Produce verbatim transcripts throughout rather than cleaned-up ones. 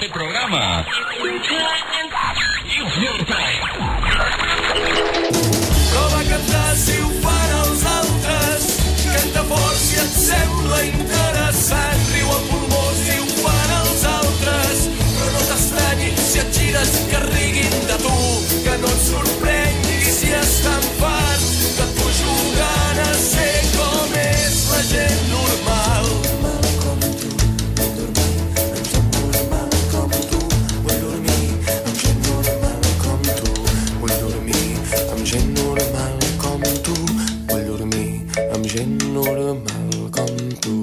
este programa. Prova a cantar si ho fan els altres. Canta fort si et sembla interessant. Riu a pulmó si ho fan els altres. Però no t'estranyi si et gires que riguin de tu. Que no et sorprengui si estan fart. Que tu jugant a ser com és la gent normal. Gent normal com tu, vull dormir amb gent normal com tu.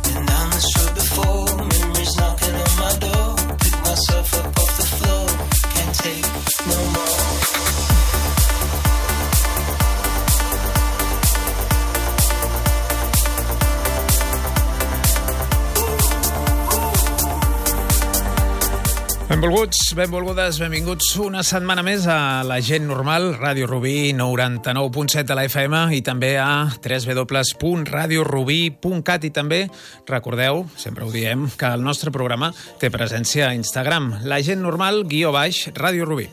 Been down this road before, memories knocking on my door. Pick myself up off the floor, can't take no more. Benvolguts, benvolgudes, benvinguts una setmana més a La Gent Normal, Ràdio Rubí noranta-nou punt set de la F M i també a w w w punt radio rubí punt cat i també, recordeu, sempre ho diem, que el nostre programa té presència a Instagram, La Gent Normal, guió baix, Ràdio Rubí.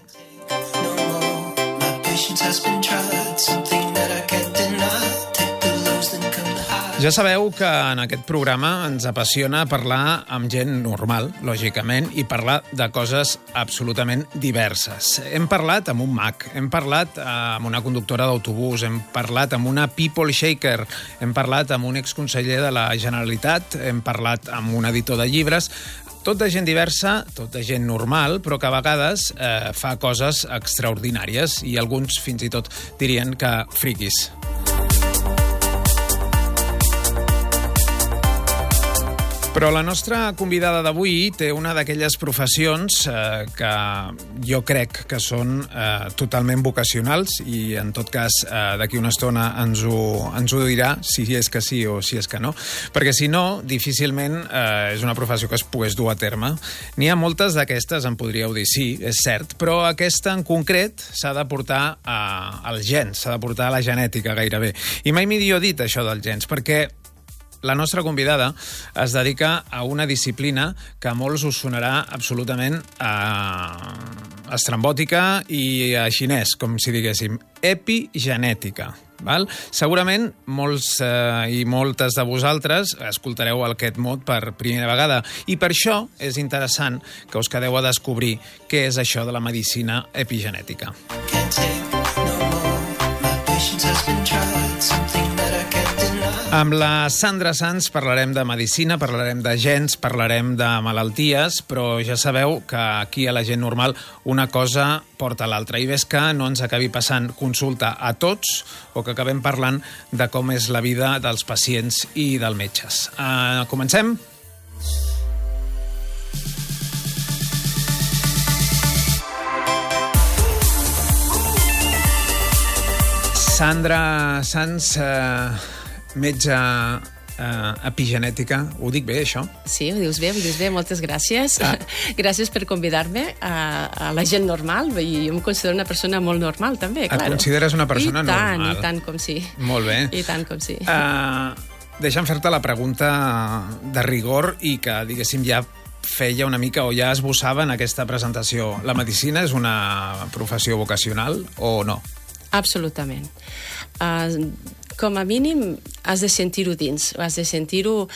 Ja sabeu que en aquest programa ens apassiona parlar amb gent normal, lògicament, i parlar de coses absolutament diverses. Hem parlat amb un mag, hem parlat amb una conductora d'autobús, hem parlat amb una people shaker, hem parlat amb un exconseller de la Generalitat, hem parlat amb un editor de llibres, tot de gent diversa, tot de gent normal, però que a vegades eh, fa coses extraordinàries i alguns fins i tot dirien que friquis. Però la nostra convidada d'avui té una d'aquelles professions eh, que jo crec que són eh, totalment vocacionals i, en tot cas, eh, d'aquí una estona ens ho, ens ho dirà, si és que sí o si és que no, perquè si no, difícilment eh, és una professió que es pogués dur a terme. N'hi ha moltes d'aquestes, em podríeu dir, sí, és cert, però aquesta en concret s'ha de portar a, als gens, s'ha de portar a la genètica gairebé. I mai millor dit això dels gens, perquè la nostra convidada es dedica a una disciplina que a molts us sonarà absolutament eh, estrambòtica i a xinès, com si diguéssim, epigenètica. Val? Segurament molts eh, i moltes de vosaltres escoltareu aquest mot per primera vegada i per això és interessant que us quedeu a descobrir què és això de la medicina epigenètica. Amb la Sandra Sans parlarem de medicina, parlarem de gens, parlarem de malalties, però ja sabeu que aquí a La Gent Normal una cosa porta a l'altra. I ves que no ens acabi passant consulta a tots o que acabem parlant de com és la vida dels pacients i dels metges. Uh, comencem? Sandra Sans, uh, metge uh, epigenètica. Ho dic bé, això? Sí, ho dius bé, ho dius bé. Moltes gràcies. Ah. Gràcies per convidar-me a, a La Gent Normal. I jo em considero una persona molt normal, també, Et claro. consideres una persona I tant, normal? I tant com sí. Molt bé. I tant com sí. Uh, deixa'm fer-te la pregunta de rigor i que, diguéssim, ja feia una mica o ja esbossava en aquesta presentació. La medicina és una professió vocacional o no? Absolutament. Uh, com a mínim has de sentir-ho dins, has de sentir-ho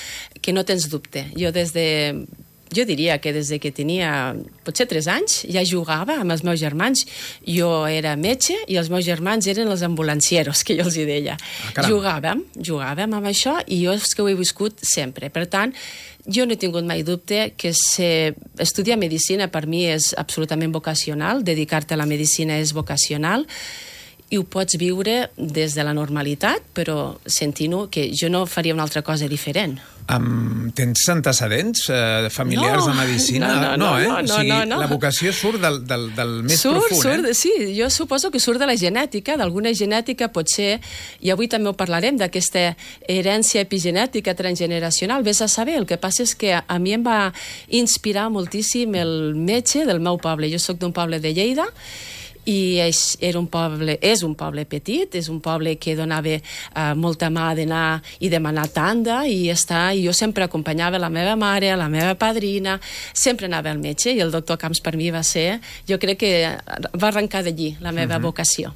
que no tens dubte. Jo des de... Jo diria que des de que tenia potser tres anys ja jugava amb els meus germans. Jo era metge i els meus germans eren els ambulancieros, que jo els hi deia. Ah, jugàvem, jugàvem amb això i jo és que ho he viscut sempre. Per tant, jo no he tingut mai dubte que ser... estudiar medicina per mi és absolutament vocacional, dedicar-te a la medicina és vocacional, i ho pots viure des de la normalitat, però sentint-ho que jo no faria una altra cosa diferent. Um, tens antecedents eh, familiars no, de medicina? No, no, no, no, eh? no, no, o sigui, no, no. La vocació surt del, del, del més surt, profund, surt, eh? Sí, jo suposo que surt de la genètica, d'alguna genètica potser, i avui també ho parlarem, d'aquesta herència epigenètica transgeneracional, vés a saber. El que passa és que a mi em va inspirar moltíssim el metge del meu poble. Jo soc d'un poble de Lleida, i és, era un poble, és un poble petit, és un poble que donava uh, molta mà d'anar i demanar tanda i estar, i jo sempre acompanyava la meva mare, la meva padrina, sempre anava al metge i el doctor Camps per mi va ser, jo crec que va arrencar d'allí la meva uh-huh. vocació.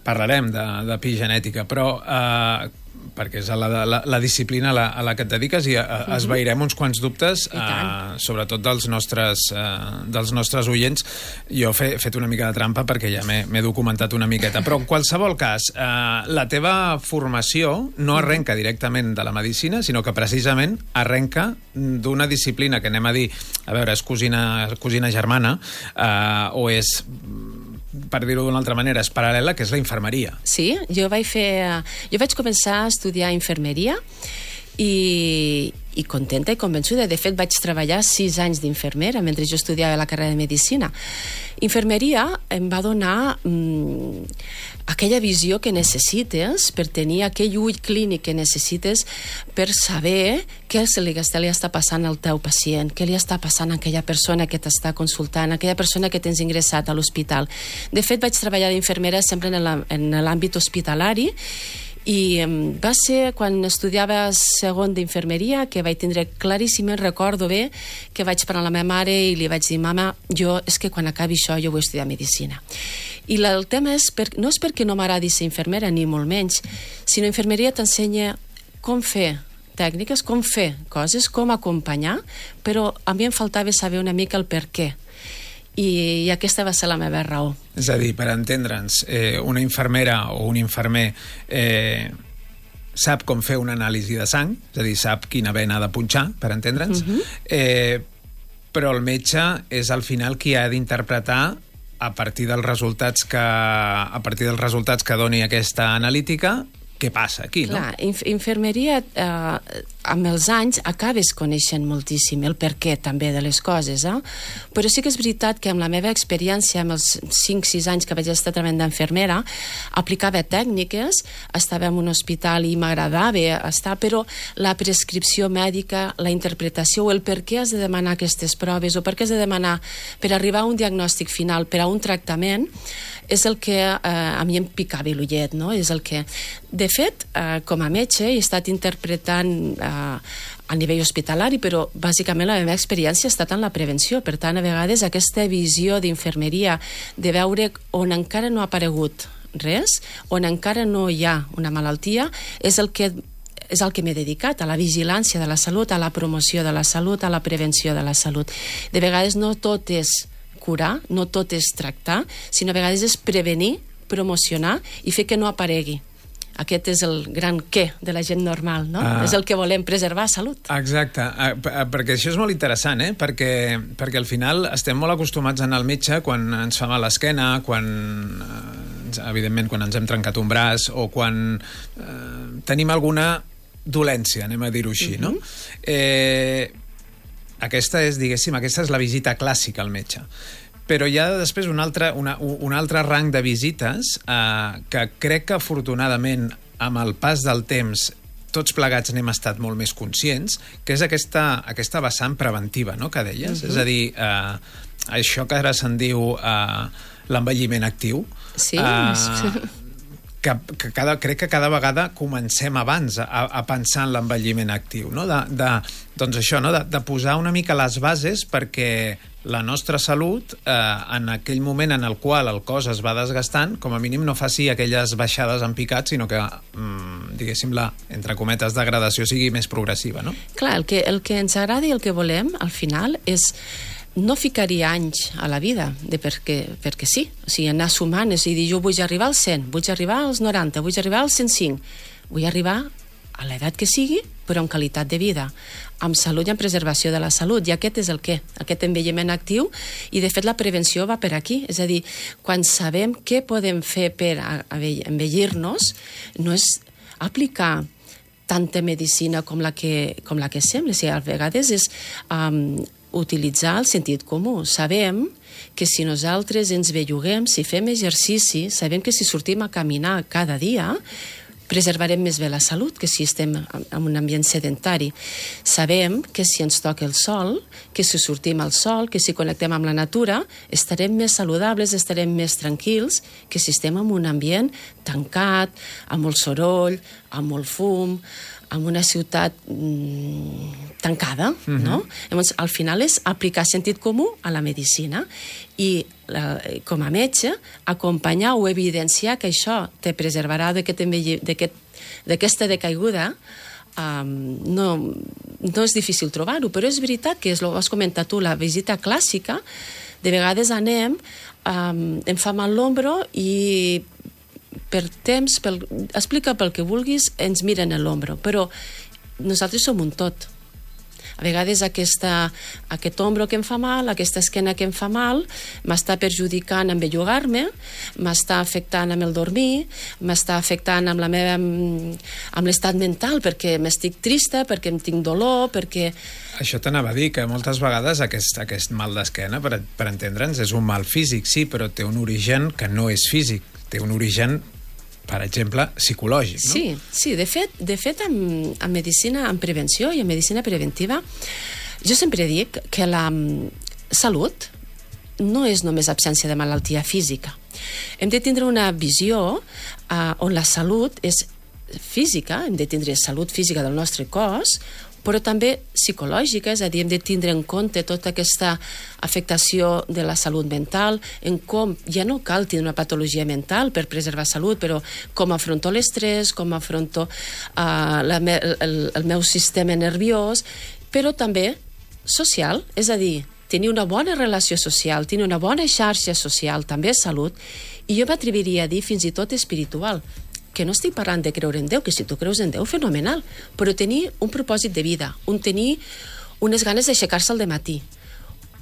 Parlarem de, d'epigenètica, però eh, perquè és la, la, la disciplina a la, a la que et dediques i uh-huh. esvairem uns quants dubtes, eh, sobretot dels nostres, eh, dels nostres oients. Jo he fet una mica de trampa perquè ja m'he, m'he documentat una miqueta, però en qualsevol cas, eh, la teva formació no arrenca directament de la medicina, sinó que precisament arrenca d'una disciplina que anem a dir, a veure, és cosina, cosina germana, eh, o és, per dir-ho d'una altra manera, és paral·lela, que és la infermeria. Sí, jo vaig fer... Jo vaig començar a estudiar infermeria i, i contenta i convençuda. De fet, vaig treballar sis anys d'infermera mentre jo estudiava la carrera de Medicina. Infermeria em va donar mmm, aquella visió que necessites per tenir aquell ull clínic que necessites per saber què se li, li està passant al teu pacient, què li està passant a aquella persona que t'està consultant, a aquella persona que tens ingressat a l'hospital. De fet, vaig treballar d'infermera sempre en l'àmbit hospitalari i va ser quan estudiava segon d'infermeria que vaig tindre claríssim, recordo bé, que vaig parlar amb la meva mare i li vaig dir, mama, jo és que quan acabi això jo vull estudiar medicina. I la, el tema és, per, no és perquè no m'agradi ser infermera, ni molt menys, sinó infermeria t'ensenya com fer tècniques, com fer coses, com acompanyar, però a mi em faltava saber una mica el per què. I, i aquesta va ser la meva raó. És a dir, per entendre'ns, eh, una infermera o un infermer eh, sap com fer una anàlisi de sang, és a dir, sap quina vena ha de punxar, per entendre'ns, uh-huh. eh, però el metge és al final qui ha d'interpretar a partir dels resultats que, a partir dels resultats que doni aquesta analítica, què passa aquí, no? Clar, inf infermeria, eh, amb els anys acabes coneixent moltíssim el perquè també de les coses, eh? Però sí que és veritat que amb la meva experiència, amb els cinc sis anys que vaig estar treballant d'infermera, aplicava tècniques, estava en un hospital i m'agradava estar, però la prescripció mèdica, la interpretació, o el per què has de demanar aquestes proves, o per què has de demanar per arribar a un diagnòstic final, per a un tractament, és el que eh, a mi em picava l'ullet, no? És el que... De fet, eh, com a metge, he estat interpretant eh, a nivell hospitalari, però bàsicament la meva experiència ha estat en la prevenció. Per tant, a vegades aquesta visió d'infermeria, de veure on encara no ha aparegut res, on encara no hi ha una malaltia, és el que és el que m'he dedicat, a la vigilància de la salut, a la promoció de la salut, a la prevenció de la salut. De vegades no tot és curar, no tot és tractar, sinó a vegades és prevenir, promocionar i fer que no aparegui. Aquest és el gran què de la gent normal, no? Ah. És el que volem, preservar salut. Exacte, ah, perquè això és molt interessant, eh? Perquè, perquè al final estem molt acostumats a anar al metge quan ens fa mal l'esquena, quan, evidentment, quan ens hem trencat un braç o quan eh, tenim alguna dolència, anem a dir-ho així, uh-huh. no? Eh, aquesta és, diguéssim, aquesta és la visita clàssica al metge. Però hi ha després un altre, una, un altre rang de visites eh, que crec que afortunadament amb el pas del temps tots plegats n'hem estat molt més conscients, que és aquesta, aquesta vessant preventiva, no?, que deies. Uh-huh. És a dir, eh, això que ara se'n diu eh, l'envelliment actiu. Sí. Eh, que, que cada, crec que cada vegada comencem abans a, a pensar en l'envelliment actiu, no? De, de, doncs això, no? de, de posar una mica les bases perquè la nostra salut, eh, en aquell moment en el qual el cos es va desgastant, com a mínim no faci aquelles baixades en picat, sinó que, mm, diguéssim, la, entre cometes, degradació sigui més progressiva, no? Clar, el que, el que ens agrada i el que volem, al final, és no ficar-hi anys a la vida, de perquè, perquè sí, o sigui, anar sumant, és a dir, jo vull arribar als cent, vull arribar als noranta, vull arribar als cent cinc, vull arribar a l'edat que sigui, però amb qualitat de vida, amb salut i amb preservació de la salut, i aquest és el què, aquest envelliment actiu, i de fet la prevenció va per aquí, és a dir, quan sabem què podem fer per envellir-nos, no és aplicar tanta medicina com la que, com la que sembla, o sigui, a vegades és um, utilitzar el sentit comú. Sabem que si nosaltres ens belluguem, si fem exercici, sabem que si sortim a caminar cada dia, preservarem més bé la salut que si estem en un ambient sedentari. Sabem que si ens toca el sol, que si sortim al sol, que si connectem amb la natura, estarem més saludables, estarem més tranquils que si estem en un ambient tancat, amb molt soroll, amb molt fum, en una ciutat mm, tancada, mm-hmm. no? Llavors, al final és aplicar sentit comú a la medicina i, la, com a metge, acompanyar o evidenciar que això te preservarà d'aquesta decaiguda. Um, no, no és difícil trobar-ho, però és veritat que, és el que has comentat tu, la visita clàssica, de vegades anem, um, em fa mal l'ombro i per temps, pel, explica pel que vulguis, ens miren a l'ombro, però nosaltres som un tot. A vegades aquesta, aquest ombro que em fa mal, aquesta esquena que em fa mal, m'està perjudicant en bellugar-me, m'està afectant amb el dormir, m'està afectant amb la meva, amb l'estat mental, perquè m'estic trista, perquè em tinc dolor, perquè... Això t'anava a dir, que moltes vegades aquest, aquest mal d'esquena, per, per entendre'ns, és un mal físic, sí, però té un origen que no és físic, té un origen, per exemple, psicològic, no? Sí, sí, de fet, de fet en, en medicina, en prevenció i en medicina preventiva, jo sempre dic que la salut no és només absència de malaltia física. Hem de tindre una visió uh, on la salut és física, hem de tindre salut física del nostre cos, però també psicològica, és a dir, hem de tindre en compte tota aquesta afectació de la salut mental, en com ja no cal tindre una patologia mental per preservar salut, però com afronto l'estrès, com afronto uh, la me el, el meu sistema nerviós, però també social, és a dir, tenir una bona relació social, tenir una bona xarxa social, també és salut, i jo m'atreviria a dir fins i tot espiritual, que no estic parlant de creure en Déu, que si tu creus en Déu, fenomenal, però tenir un propòsit de vida, un tenir unes ganes d'aixecar-se al dematí,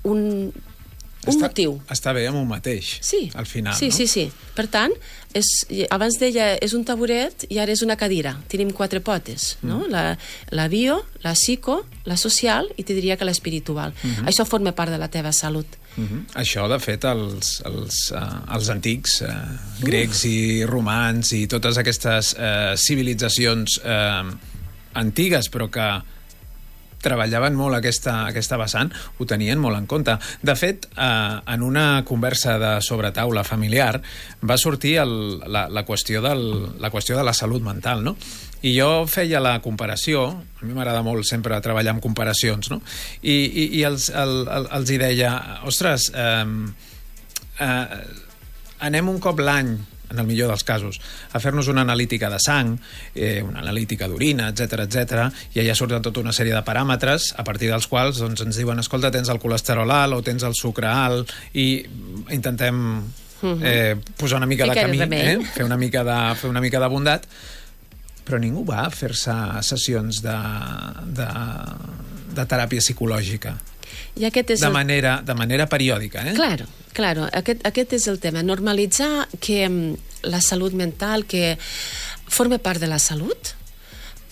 un, un està, motiu. Està bé amb un mateix, sí, al final, sí, no? Sí, sí, sí. Per tant, és, abans deia, és un taburet i ara és una cadira. Tenim quatre potes, mm. no? La, la bio, la psico, la social i te diria que l'espiritual. Mm-hmm. Això forma part de la teva salut. Mm-hmm. Això, de fet, els, els, uh, els antics uh, grecs i romans i totes aquestes uh, civilitzacions uh, antigues, però que treballaven molt aquesta, aquesta vessant, ho tenien molt en compte. De fet, eh, en una conversa de sobretaula familiar va sortir el, la, la, qüestió del, la qüestió de la salut mental, no? I jo feia la comparació, a mi m'agrada molt sempre treballar amb comparacions, no? I, i, i els, el, el, els hi deia, ostres, eh, eh, anem un cop l'any, en el millor dels casos, a fer-nos una analítica de sang, eh, una analítica d'orina, etcètera, etcètera, i allà surten tota una sèrie de paràmetres a partir dels quals doncs, ens diuen, escolta, tens el colesterol alt o tens el sucre alt, i intentem eh, posar una mica de camí, eh, fer una mica de, fer una mica de bondat, però ningú va a fer-se sessions de, de, de teràpia psicològica. I aquest és de, el... manera, de manera periòdica, eh? Claro, claro, aquest, aquest és el tema. Normalitzar que la salut mental, que forma part de la salut,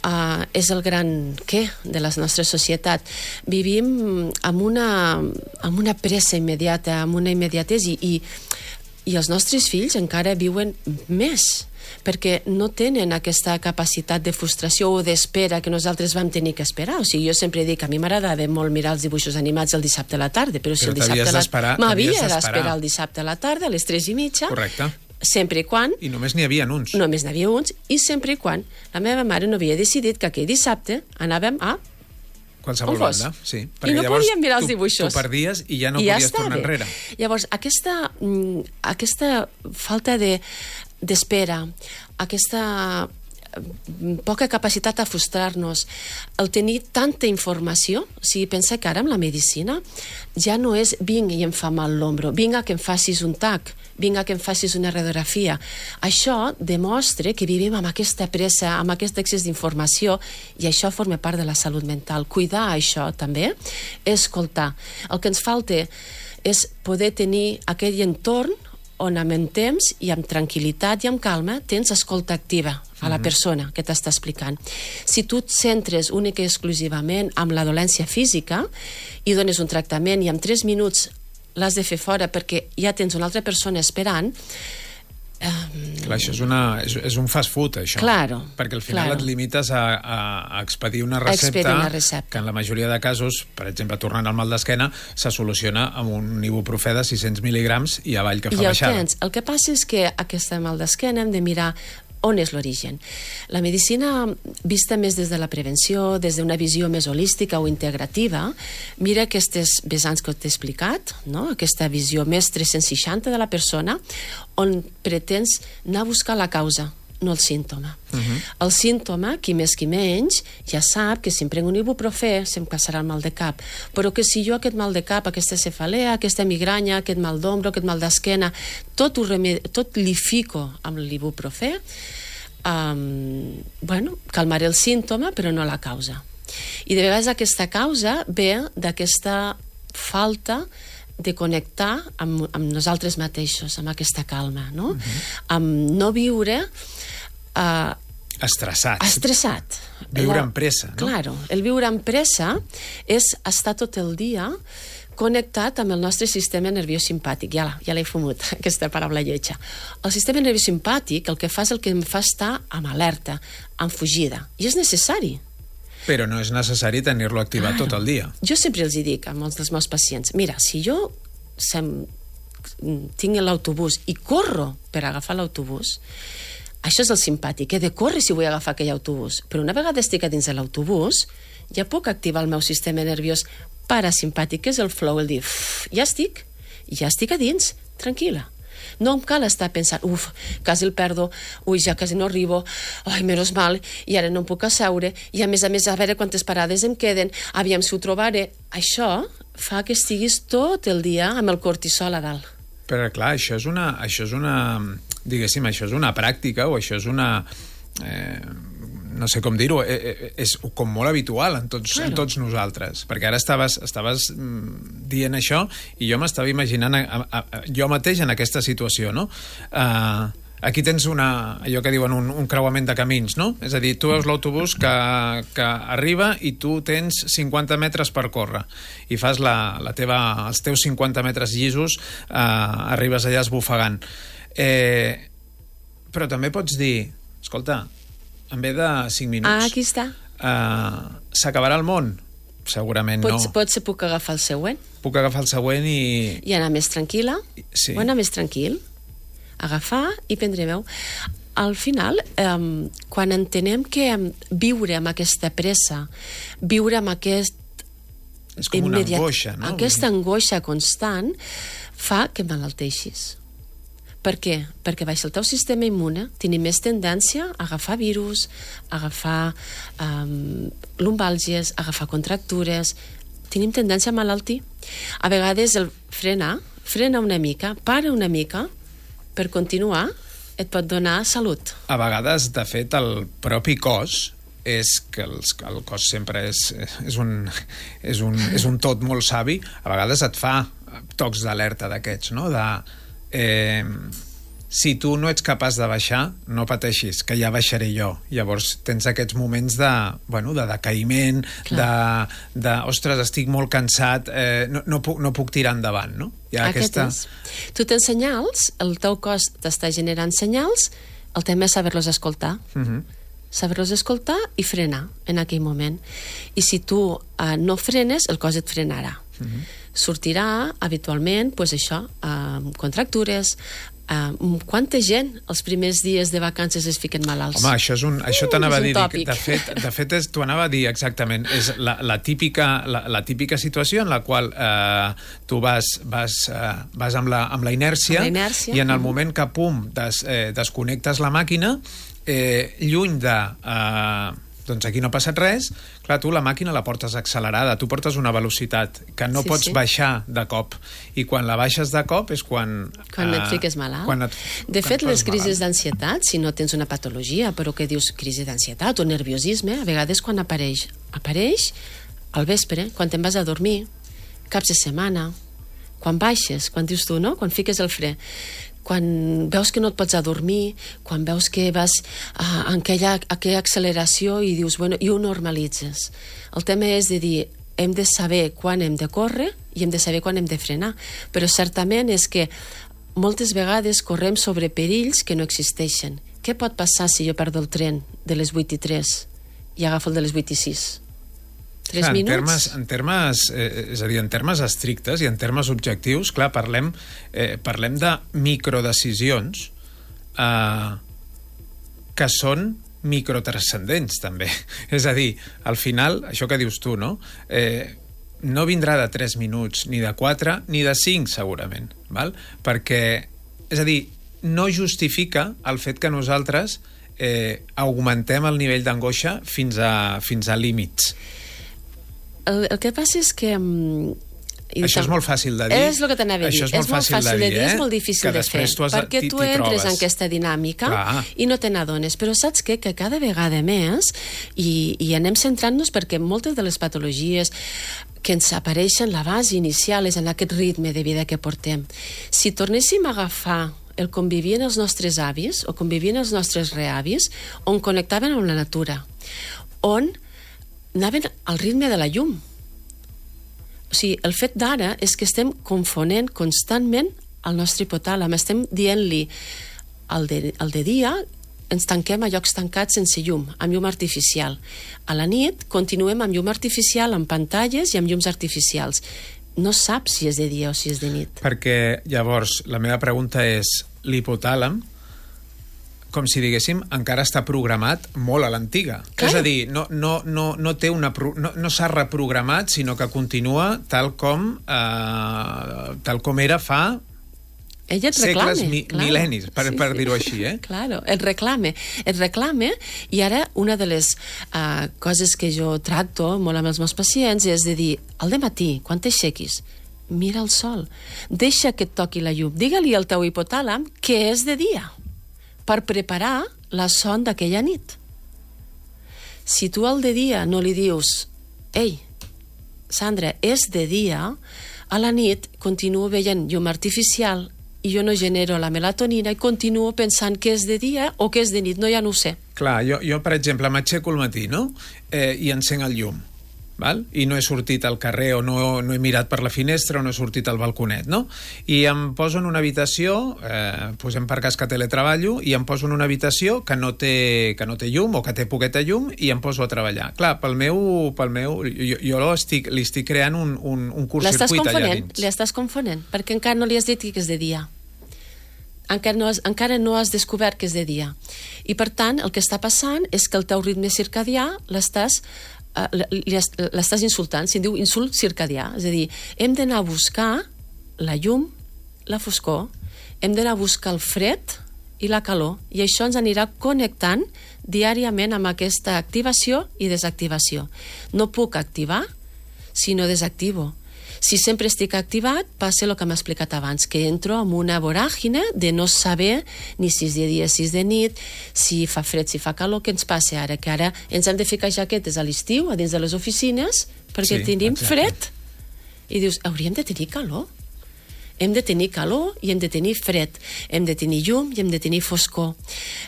uh, és el gran què de la nostra societat. Vivim amb una, amb una pressa immediata, amb una immediatesa, i, i els nostres fills encara viuen més, perquè no tenen aquesta capacitat de frustració o d'espera que nosaltres vam tenir que esperar. O sigui, jo sempre dic que a mi m'agradava molt mirar els dibuixos animats el dissabte a la tarda, però, però si el dissabte a la... m'havia d'esperar el dissabte a la tarda, a les tres i mitja. Correcte. Sempre i quan... I només n'hi havia uns. Només n'hi havia uns, i sempre i quan la meva mare no havia decidit que aquell dissabte anàvem a qualsevol banda, sí. I no podíem mirar els dibuixos. Tu perdies i ja no I ja podies tornar enrere. Llavors, aquesta, aquesta falta de d'espera, aquesta poca capacitat a frustrar-nos, el tenir tanta informació, o sigui, pensa que ara amb la medicina ja no és vinga i em fa mal l'ombro, vinga que em facis un tac, vinga que em facis una radiografia. Això demostra que vivim amb aquesta pressa, amb aquest excés d'informació, i això forma part de la salut mental. Cuidar això també, escoltar. El que ens falta és poder tenir aquell entorn on amb temps i amb tranquil·litat i amb calma tens escolta activa a la persona que t'està explicant. Si tu et centres únic i exclusivament amb la dolència física i dones un tractament i en tres minuts l'has de fer fora perquè ja tens una altra persona esperant, eh, Clar, això és, una, és, és un fast food, això. Claro. Perquè al final claro. et limites a, a, a expedir una recepta, expedir una recepta que en la majoria de casos, per exemple, tornant al mal d'esquena, se soluciona amb un ibuprofè de sis-cents mil·ligrams i avall que fa I el baixada. Tens. El que passa és que aquesta mal d'esquena hem de mirar on és l'origen. La medicina, vista més des de la prevenció, des d'una visió més holística o integrativa, mira aquestes vessants que t'he explicat, no? Aquesta visió més tres-cents seixanta de la persona, on pretens anar a buscar la causa, no el símptoma. Uh-huh. El símptoma, qui més qui menys, ja sap que si em prenc un ibuprofè se'm passarà el mal de cap, però que si jo aquest mal de cap, aquesta cefalea, aquesta migranya, aquest mal d'ombro, aquest mal d'esquena, tot, ho remed... tot li fico amb l'ibuprofè, um, bueno, calmaré el símptoma, però no la causa. I de vegades aquesta causa ve d'aquesta falta de connectar amb, amb nosaltres mateixos, amb aquesta calma, no? Uh-huh. Amb no viure Uh, estressat. Estressat. Viure la, amb pressa, no? Claro, el viure amb pressa és estar tot el dia connectat amb el nostre sistema nerviós simpàtic. Ja, ja l'he fumut, aquesta paraula lletja. El sistema nerviós simpàtic el que fa és el que em fa estar amb alerta, amb fugida. I és necessari. Però no és necessari tenir-lo activat claro. tot el dia. Jo sempre els hi dic a molts dels meus pacients, mira, si jo sem, tinc l'autobús i corro per agafar l'autobús, això és el simpàtic, he de córrer si vull agafar aquell autobús. Però una vegada estic a dins de l'autobús, ja puc activar el meu sistema nerviós parasimpàtic, que és el flow, el dir, ja estic, ja estic a dins, tranquil·la. No em cal estar pensant, uf, quasi el perdo, ui, ja quasi no arribo, ai, menys mal, i ara no em puc asseure, i a més a més, a veure quantes parades em queden, aviam si ho trobaré. Això fa que estiguis tot el dia amb el cortisol a dalt. Però clar, això és una... Això és una diguéssim, això és una pràctica o això és una... Eh, no sé com dir-ho, eh, és com molt habitual en tots, claro. en tots nosaltres. Perquè ara estaves, estaves dient això i jo m'estava imaginant a, a, a, jo mateix en aquesta situació, no? Uh, aquí tens una, allò que diuen un, un creuament de camins, no? És a dir, tu veus l'autobús que, que arriba i tu tens cinquanta metres per córrer i fas la, la teva, els teus cinquanta metres llisos, uh, arribes allà esbufegant. Eh, però també pots dir, escolta, en ve de cinc minuts... Ah, aquí està. Uh, S'acabarà el món? Segurament pots, no. Potser puc agafar el següent. Puc agafar el següent i... I anar més tranquil·la. Sí. O anar més tranquil. Agafar i prendre veu. Al final, um, quan entenem que viure amb aquesta pressa, viure amb aquest... És com una angoixa, no? Aquesta angoixa constant fa que malalteixis. Per què? Perquè baixa el teu sistema immune, tenim més tendència a agafar virus, a agafar um, lumbàlgies, a agafar contractures, tenim tendència a malaltir. A vegades el frenar, frena una mica, para una mica, per continuar, et pot donar salut. A vegades, de fet, el propi cos és que els, el cos sempre és, és, un, és, un, és un tot molt savi, a vegades et fa tocs d'alerta d'aquests, no? De... Eh, si tu no ets capaç de baixar, no pateixis, que ja baixaré jo. Llavors tens aquests moments de, bueno, de decaïment, de, de, ostres, estic molt cansat, eh, no, no, puc, no puc tirar endavant, no? Hi ha aquesta... Tu tens senyals, el teu cos t'està generant senyals, el tema és saber-los escoltar. Uh-huh. Saber-los escoltar i frenar en aquell moment. I si tu eh, no frenes, el cos et frenarà. Uh-huh. Sortirà habitualment, pues això, amb contractures, uh, quanta gent els primers dies de vacances es fiquen malalts? Home, això, és un, això uh, t'anava és a dir, tòpic. de fet, de fet és, t'ho anava a dir exactament, és la, la, típica, la, la típica situació en la qual eh, tu vas, vas, eh, vas amb, la, amb la inèrcia, amb la inèrcia i en el moment que, pum, des, eh, desconnectes la màquina, eh, lluny de... Eh, doncs aquí no ha passat res, clar, tu la màquina la portes accelerada, tu portes una velocitat que no sí, pots sí. baixar de cop, i quan la baixes de cop és quan... Quan uh, et fiques malalt. Quan et, de quan fet, les crisis d'ansietat, si no tens una patologia, però que dius crisi d'ansietat o nerviosisme, a vegades quan apareix, apareix al vespre, quan te'n vas a dormir, caps de setmana, quan baixes, quan dius tu, no? Quan fiques el fre, quan veus que no et pots adormir, quan veus que vas uh, en aquella, aquella acceleració i dius, bueno, i ho normalitzes. El tema és de dir, hem de saber quan hem de córrer i hem de saber quan hem de frenar. Però certament és que moltes vegades correm sobre perills que no existeixen. Què pot passar si jo perdo el tren de les vuit i tres i agafo el de les vuit i sis? Tres clar, minuts? En termes, en termes, eh, és a dir, en termes estrictes i en termes objectius, clar, parlem, eh, parlem de microdecisions eh, que són microtranscendents, també. És a dir, al final, això que dius tu, no? Eh, no vindrà de tres minuts, ni de quatre, ni de cinc, segurament, val? Perquè, és a dir, no justifica el fet que nosaltres eh, augmentem el nivell d'angoixa fins a, fins a límits. El, el que passa és que... Això és molt fàcil de dir. És el que t'anava a dir. Això és molt, és molt fàcil, fàcil de dir, eh? És molt difícil de fer, perquè tu entres en aquesta dinàmica Clar. i no te n'adones. Però saps què? Que cada vegada més, i, i anem centrant-nos perquè moltes de les patologies que ens apareixen, la base inicial és en aquest ritme de vida que portem. Si tornéssim a agafar el com vivien els nostres avis o com vivien els nostres reavis, on connectaven amb la natura, on anaven al ritme de la llum. O sigui, el fet d'ara és que estem confonent constantment el nostre hipotàlam. Estem dient-li al de, al de dia ens tanquem a llocs tancats sense llum, amb llum artificial. A la nit continuem amb llum artificial, amb pantalles i amb llums artificials. No saps si és de dia o si és de nit. Perquè, llavors, la meva pregunta és l'hipotàlam, com si diguéssim, encara està programat molt a l'antiga. Clar. És a dir, no, no, no, no, té una, no, no s'ha reprogramat, sinó que continua tal com, eh, tal com era fa ella et reclame, segles, mi, claro. mil·lennis, per, sí, per sí. dir-ho així. Eh? Claro, et reclame. Et reclame, i ara una de les uh, coses que jo tracto molt amb els meus pacients és de dir, al dematí, quan t'aixequis, mira el sol, deixa que et toqui la llum, digue-li al teu hipotàlam que és de dia, per preparar la son d'aquella nit. Si tu al de dia no li dius ei, Sandra, és de dia, a la nit continuo veient llum artificial i jo no genero la melatonina i continuo pensant que és de dia o que és de nit, no, ja no ho sé. Clar, jo, jo per exemple, m'aixeco al matí, no? Eh, i encenc el llum. Val? I no he sortit al carrer o no, no he mirat per la finestra o no he sortit al balconet, no? I em poso en una habitació, eh, posem per cas que teletreballo, i em poso en una habitació que no té, que no té llum o que té poqueta llum i em poso a treballar. Clar, pel meu... Pel meu jo jo estic, li estic creant un, un, un curt-circuit allà dins. Li estàs confonent, perquè encara no li has dit que és de dia. Encara no, has, encara no has descobert que és de dia. I per tant, el que està passant és que el teu ritme circadià l'estàs Uh, l'estàs insultant, se'n diu insult circadià, és a dir, hem d'anar a buscar la llum, la foscor, hem d'anar a buscar el fred i la calor, i això ens anirà connectant diàriament amb aquesta activació i desactivació. No puc activar si no desactivo. Si sempre estic activat, passa el que m'ha explicat abans, que entro en una voràgine de no saber ni si és de dia, si és de nit, si fa fred, si fa calor. Què ens passa ara? Que ara ens hem de ficar jaquetes a l'estiu, a dins de les oficines, perquè sí, tenim exacte. fred. I dius, hauríem de tenir calor. Hem de tenir calor i hem de tenir fred. Hem de tenir llum i hem de tenir foscor.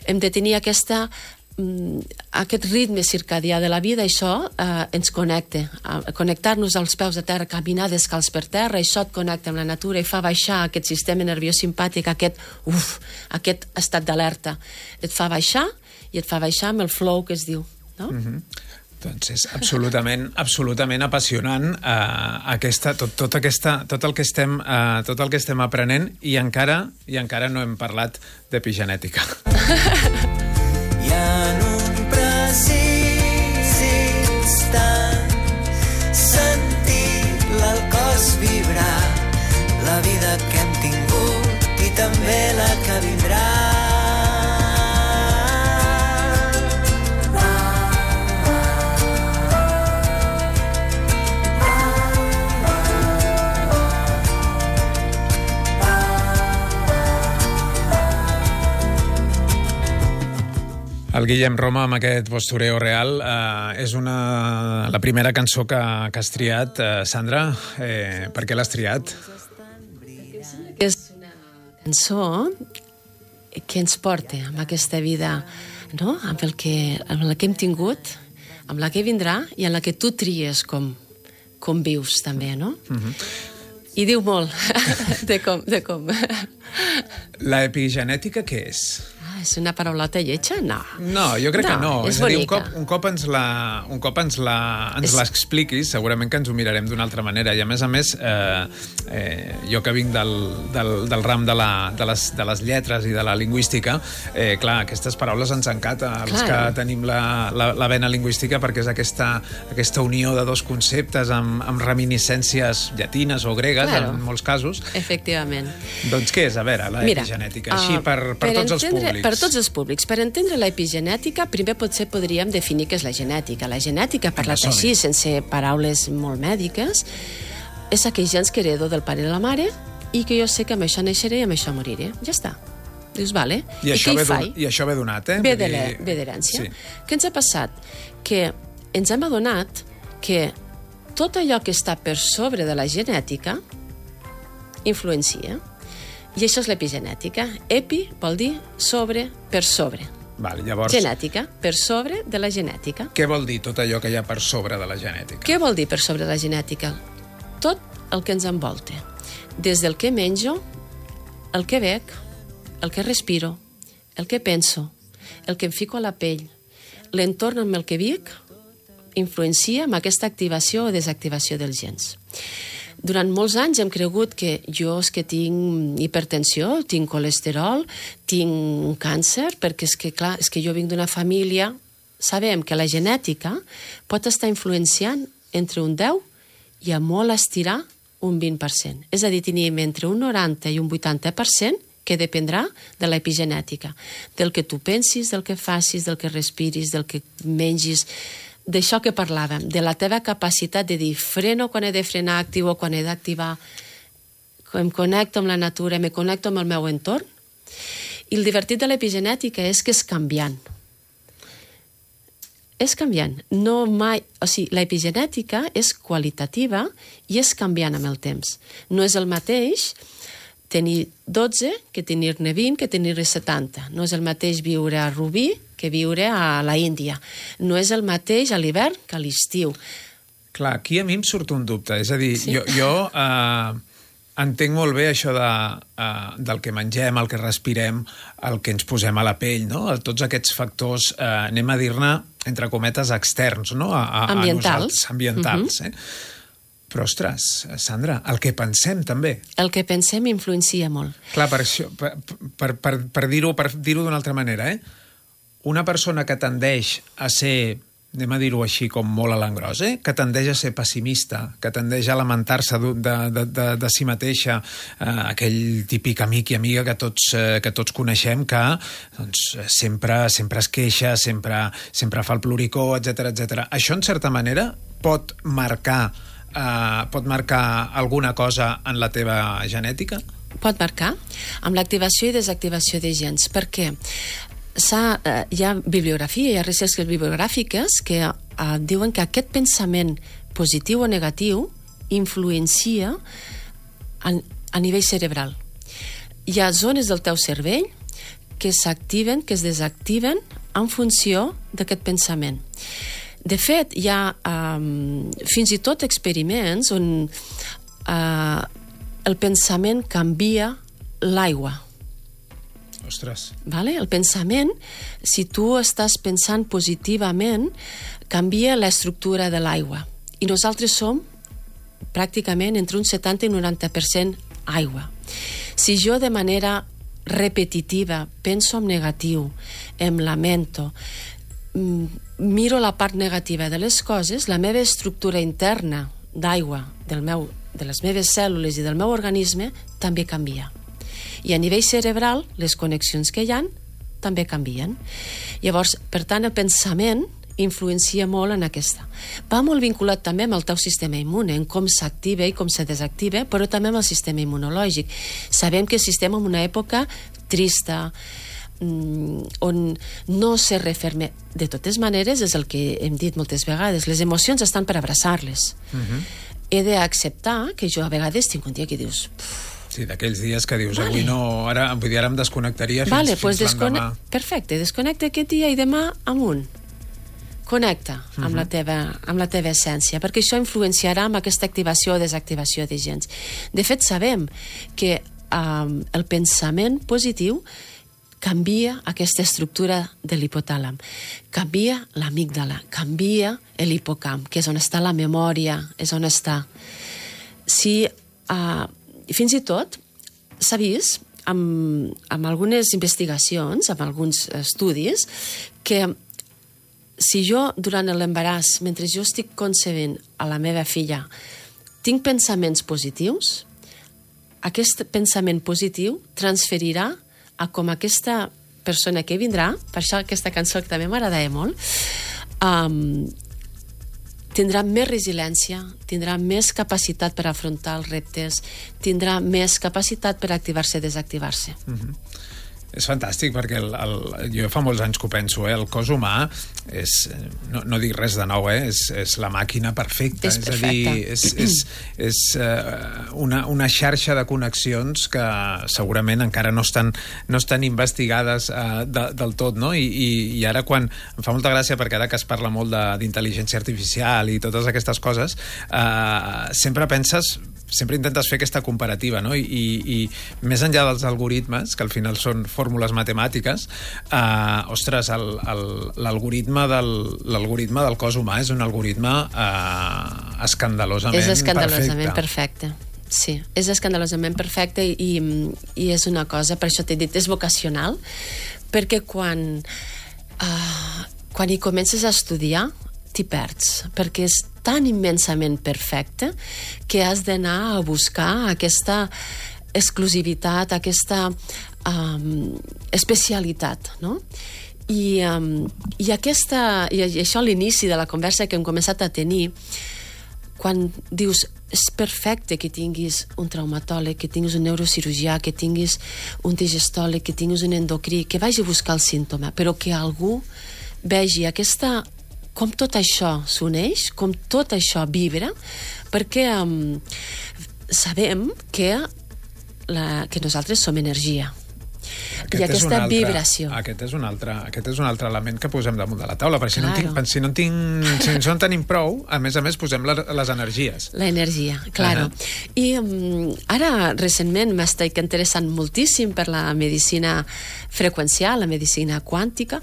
Hem de tenir aquesta... aquest ritme circadià de la vida, això eh, ens connecta. A connectar-nos als peus de terra, caminar descalç per terra, això et connecta amb la natura i fa baixar aquest sistema nerviós simpàtic, aquest, uf, aquest estat d'alerta. Et fa baixar i et fa baixar amb el flow que es diu, no? Mm-hmm. Doncs és absolutament, absolutament apassionant eh, aquesta, tot, tot, aquesta, tot, el que estem, eh, tot el que estem aprenent i encara, i encara no hem parlat d'epigenètica. I en un precís instant sentir l'alcòs vibrar, la vida que hem tingut i també la que vindrà. El Guillem Roma, amb aquest Postureo Real, eh, és una, la primera cançó que, que has triat. Eh, Sandra, eh, per què l'has triat? És una cançó que ens porta amb aquesta vida, no? amb, el que, amb la que hem tingut, amb la que vindrà i en la que tu tries com, com vius, també, no? Mm-hmm. I diu molt de com. De com. L'epigenètica què és? Ah, és una paraulota lletja? No. No, jo crec no, que no. És, és a dir, un bonica. cop, un cop ens la, un cop ens la, ens És... l'expliquis, segurament que ens ho mirarem d'una altra manera. I a més a més, eh, eh, jo que vinc del, del, del ram de, la, de, les, de les lletres i de la lingüística, eh, clar, aquestes paraules ens encanta, els que tenim la, la, la vena lingüística, perquè és aquesta, aquesta unió de dos conceptes amb, amb reminiscències llatines o gregues, claro. En molts casos. Efectivament. Doncs què és, a veure, l'epigenètica? Així, per, per, per tots els públics. Per tots els públics. Per entendre l'epigenètica, primer potser podríem definir què és la genètica. La genètica, parlat així, sense paraules molt mèdiques, és aquells gens que heredo del pare i de la mare i que jo sé que amb això naixeré i amb això moriré. Ja està. Dius, vale. I, I, això, ve don, I això ve donat, eh? Ve d'herència. Sí. Què ens ha passat? Que ens hem adonat que tot allò que està per sobre de la genètica influencia. I això és l'epigenètica. Epi vol dir sobre, per sobre. Val, llavors... Genètica, per sobre de la genètica. Què vol dir tot allò que hi ha per sobre de la genètica? Què vol dir per sobre de la genètica? Tot el que ens envolta. Des del que menjo, el que bec, el que respiro, el que penso, el que em fico a la pell, l'entorn amb el que vic, influencia amb aquesta activació o desactivació dels gens. Durant molts anys hem cregut que jo és que tinc hipertensió, tinc colesterol, tinc càncer, perquè és que, clar, és que jo vinc d'una família... Sabem que la genètica pot estar influenciant entre un deu i a molt estirar un vint per cent. És a dir, tenim entre un noranta i un vuitanta per cent que dependrà de l'epigenètica, del que tu pensis, del que facis, del que respiris, del que mengis... D'això que parlàvem, de la teva capacitat de dir freno quan he de frenar, activo quan he d'activar, em connecto amb la natura, me connecto amb el meu entorn. I el divertit de l'epigenètica és que és canviant. És canviant. No mai... O sigui, l'epigenètica és qualitativa i és canviant amb el temps. No és el mateix tenir dotze que tenir-ne vint que tenir-ne setanta. No és el mateix viure a Rubí que viure a la Índia. No és el mateix a l'hivern que a l'estiu. Clar, aquí a mi em surt un dubte. És a dir, sí? jo, jo eh, entenc molt bé això de, eh, del que mengem, el que respirem, el que ens posem a la pell, no? Tots aquests factors, eh, anem a dir-ne, entre cometes, externs, no? A, a, ambientals. A ambientals, uh-huh. eh? Però, ostres, Sandra, el que pensem també. El que pensem influencia molt. Clar, per, això, per, per, per, per dir-ho per dir-ho d'una altra manera, eh? Una persona que tendeix a ser, anem a dir-ho així com molt a l'engròs, eh? Que tendeix a ser pessimista, que tendeix a lamentar-se de, de, de, de si mateixa, eh, aquell típic amic i amiga que tots, eh, que tots coneixem, que doncs, sempre, sempre es queixa, sempre, sempre fa el ploricó, etcètera, etcètera. Això, en certa manera, pot marcar Uh, pot marcar alguna cosa en la teva genètica? Pot marcar amb l'activació i desactivació de gens. Per què? Uh, hi ha bibliografia, hi ha recerques bibliogràfiques que uh, diuen que aquest pensament positiu o negatiu influencia a, a nivell cerebral. Hi ha zones del teu cervell que s'activen, que es desactiven en funció d'aquest pensament. De fet, hi ha um, fins i tot experiments on uh, el pensament canvia l'aigua. Ostres. Vale? El pensament, si tu estàs pensant positivament, canvia l'estructura de l'aigua. I nosaltres som pràcticament entre un setanta i un noranta per cent aigua. Si jo de manera repetitiva penso en negatiu, em lamento, miro la part negativa de les coses, la meva estructura interna d'aigua del meu, de les meves cèl·lules i del meu organisme també canvia. I a nivell cerebral, les connexions que hi ha també canvien. Llavors, per tant, el pensament influencia molt en aquesta. Va molt vinculat també amb el teu sistema immune, en com s'activa i com se desactiva, però també amb el sistema immunològic. Sabem que estem en una època trista, on no se referme. De totes maneres, és el que hem dit moltes vegades, les emocions estan per abraçar-les. Uh-huh. He d'acceptar que jo a vegades tinc un dia que dius... Sí, d'aquells dies que dius, vale. Avui no, ara, vull dir, ara em desconnectaria fins, vale, fins pues l'endemà. Perfecte, desconnecta aquest dia i demà amunt. connecta amb, uh-huh. la teva, amb la teva essència, perquè això influenciarà amb aquesta activació o desactivació de gens. De fet, sabem que um, el pensament positiu canvia aquesta estructura de l'hipotàlam, canvia l'amígdala, canvia l'hipocamp, que és on està la memòria, és on està. Si, uh, fins i tot, s'ha vist amb, amb algunes investigacions, amb alguns estudis, que si jo, durant l'embaràs, mentre jo estic concebent a la meva filla, tinc pensaments positius, aquest pensament positiu transferirà a com aquesta persona que vindrà, per això aquesta cançó que també m'agradava molt, um, tindrà més resiliència, tindrà més capacitat per afrontar els reptes, tindrà més capacitat per activar-se i desactivar-se. Mm-hmm. És fantàstic, perquè el, el, jo fa molts anys que ho penso, eh? El cos humà és, no, no dic res de nou, eh? és, és la màquina perfecta, és, és a dir, és, és, és uh, una, una xarxa de connexions que segurament encara no estan, no estan investigades uh, de, del tot, no? I, i, i ara quan, em fa molta gràcia, perquè ara que es parla molt d'intel·ligència artificial i totes aquestes coses, uh, sempre penses, sempre intentes fer aquesta comparativa, no? I, i, i més enllà dels algoritmes, que al final són fórmules matemàtiques, eh, ostres, l'algoritme del, l'algoritme del cos humà és un algoritme eh, escandalosament perfecte. És escandalosament perfecte. Sí, és escandalosament perfecte i, i és una cosa, per això t'he dit, és vocacional, perquè quan, uh, quan hi comences a estudiar t'hi perds, perquè és tan immensament perfecte que has d'anar a buscar aquesta exclusivitat, aquesta um, especialitat, no? I, um, i, aquesta, i això a l'inici de la conversa que hem començat a tenir, quan dius és perfecte que tinguis un traumatòleg, que tinguis un neurocirurgià, que tinguis un digestòleg, que tinguis un endocrí, que vagi a buscar el símptoma, però que algú vegi aquesta, com tot això s'uneix, com tot això vibra, perquè um, sabem que, la, que nosaltres som energia. Aquest I aquesta altre, vibració. Aquest és, un altre, aquest és un altre element que posem damunt de la taula, perquè si, claro. no, tinc, si, no, tinc, si no en tenim prou, a més a més posem les, les energies. La energia, claro. Uh-huh. I um, ara, recentment, m'estic interessant moltíssim per la medicina freqüencial, la medicina quàntica,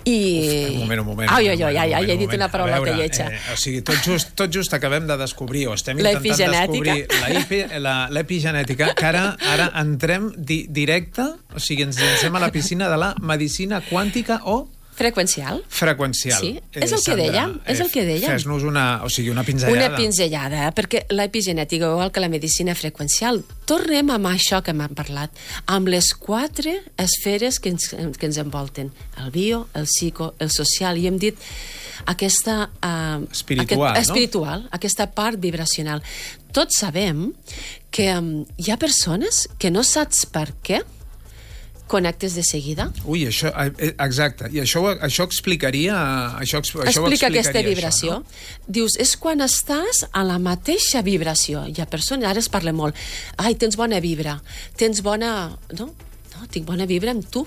i... Uf, un moment, un moment. Ai, ai, ai, ai, ai, he dit una paraula que lletja. Eh, o sigui, tot just, tot just acabem de descobrir, o estem intentant descobrir l'epigenètica, que ara, ara entrem di, directe, o sigui, ens llancem a la piscina de la medicina quàntica o... Freqüencial. Freqüencial. Sí, és el que dèiem, és el que dèiem. Fes-nos una, o sigui, una pinzellada. Una pinzellada, perquè l'epigenètica, igual que la medicina freqüencial, tornem amb això que m'han parlat, amb les quatre esferes que ens, que ens envolten, el bio, el psico, el social, i hem dit aquesta... Uh, espiritual, aquest, espiritual, no? Aquesta part vibracional. Tots sabem que um, hi ha persones que no saps per què connectes de seguida. Ui, això, exacte. I això, això explicaria... Això, això Explica explicaria aquesta vibració. Això, no? Dius, és quan estàs a la mateixa vibració. Hi ha persones, ara es parla molt, ai, tens bona vibra, tens bona... No, no, tinc bona vibra amb tu.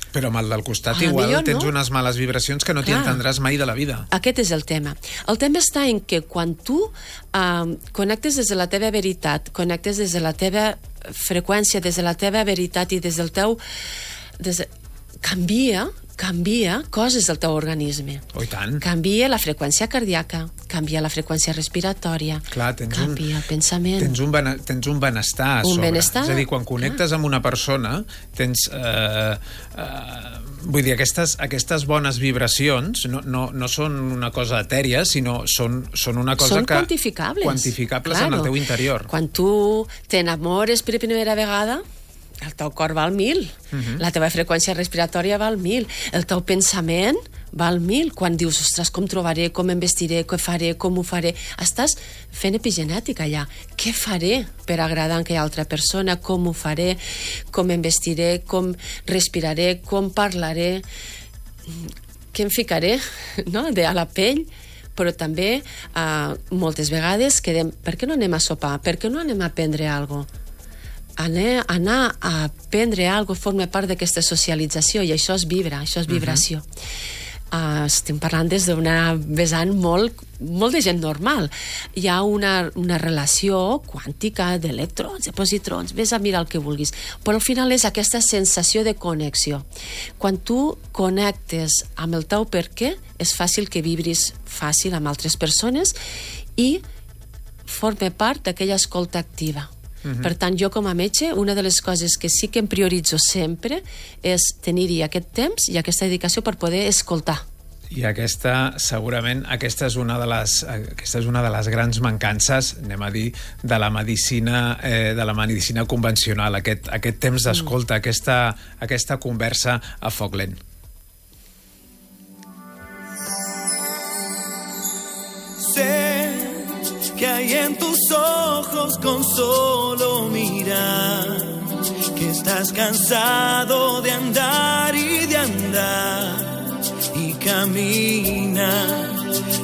Però amb el del costat a igual millor, tens no? unes males vibracions que no t'hi entendràs mai de la vida. Aquest és el tema. El tema està en que quan tu uh, connectes des de la teva veritat, connectes des de la teva freqüència, des de la teva veritat i des del teu... Des de... Canvia, canvia coses del teu organisme. Oh, i tant. Canvia la freqüència cardíaca, canvia la freqüència respiratòria, clar, tens canvia un, el pensament. Tens un, bene, tens un benestar a un sobre. Benestar, és a dir, quan connectes clar. amb una persona, tens... Eh, eh, vull dir, aquestes, aquestes bones vibracions no, no, no són una cosa etèria, sinó són, són una cosa són que... quantificables. Quantificables claro. en el teu interior. Quan tu t'enamores per primera vegada, el teu cor va al mil, uh-huh. la teva freqüència respiratòria va al mil, el teu pensament va al mil. Quan dius, ostres, com trobaré, com em vestiré, què faré, com ho faré, estàs fent epigenètica allà. Què faré per agradar a aquella altra persona, com ho faré, com em vestiré, com respiraré, com parlaré, què em ficaré, no?, de a la pell. Però també eh, moltes vegades quedem, per què no anem a sopar, per què no anem a prendre alguna cosa? Anar, anar a prendre alguna cosa forma part d'aquesta socialització, i això és vibra, això és vibració. Uh-huh. Uh, estem parlant des d'una vessant molt, molt de gent normal. Hi ha una, una relació quàntica d'electrons, de positrons, vés a mirar el que vulguis, però al final és aquesta sensació de connexió. Quan tu connectes amb el teu per què, és fàcil que vibris fàcil amb altres persones i forma part d'aquella escolta activa. Uh-huh. Per tant, jo com a metge, una de les coses que sí que em prioritzo sempre és tenir-hi aquest temps i aquesta dedicació per poder escoltar. I aquesta, segurament, aquesta és una de les, aquesta és una de les grans mancances, anem a dir, de la medicina, eh, de la medicina convencional, aquest, aquest temps d'escolta, mm. aquesta, aquesta conversa a foc lent. Sé que hay en tus ojos con solo mirar, que estás cansado de andar y de andar, y camina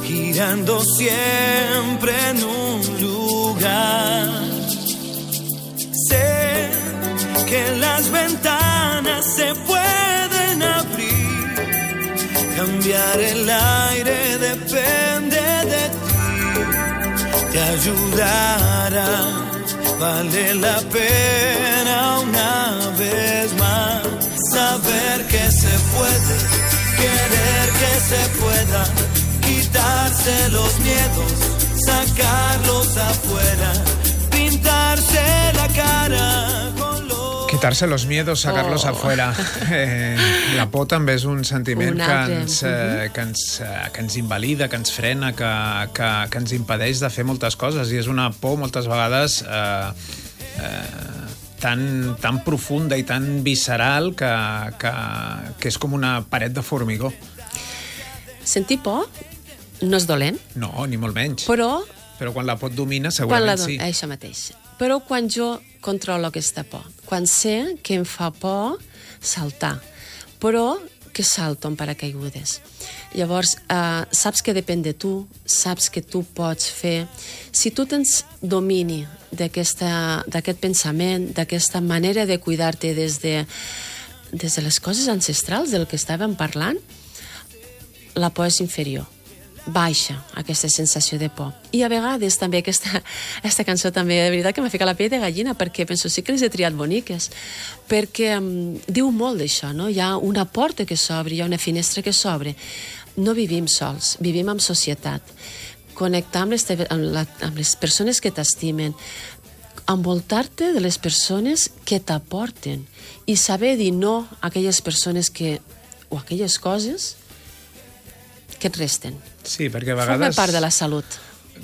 girando siempre en un lugar. Sé que las ventanas se pueden abrir, cambiar el aire depende de ti. Te ayudará, vale la pena una vez más saber que se puede, querer que se pueda, quitarse los miedos, sacarlos afuera, pintarse la cara con los... Quitarse los miedos, sacarlos oh. afuera. Eh, la por també és un sentiment un que, ens, eh, que, ens, eh, que ens invalida, que ens frena, que, que, que ens impedeix de fer moltes coses, i és una por moltes vegades eh, eh, tan, tan profunda i tan visceral que, que, que és com una paret de formigó. Sentir por no és dolent. No, ni molt menys. Però... Però quan la por et domina, segurament do... sí. Això mateix. Però quan jo controlo aquesta por, quan sé que em fa por saltar, però que salto en paracaigudes. Llavors, eh, saps que depèn de tu, saps que tu pots fer... Si tu tens domini d'aquest pensament, d'aquesta manera de cuidar-te des de, des de les coses ancestrals, del que estàvem parlant, la por és inferior. Baixa aquesta sensació de por. I a vegades també aquesta, aquesta cançó també, de veritat que m'ha ficat la pell de gallina, perquè penso, sí que les he triat boniques, perquè um, diu molt d'això, no? Hi ha una porta que s'obre, hi ha una finestra que s'obre. No vivim sols, vivim en societat. Connectar amb les, teves, amb la, amb les persones que t'estimen, envoltar-te de les persones que t'aporten i saber dir no a aquelles persones que, o aquelles coses que et resten. Sí, perquè a vegades... Forma part de la salut.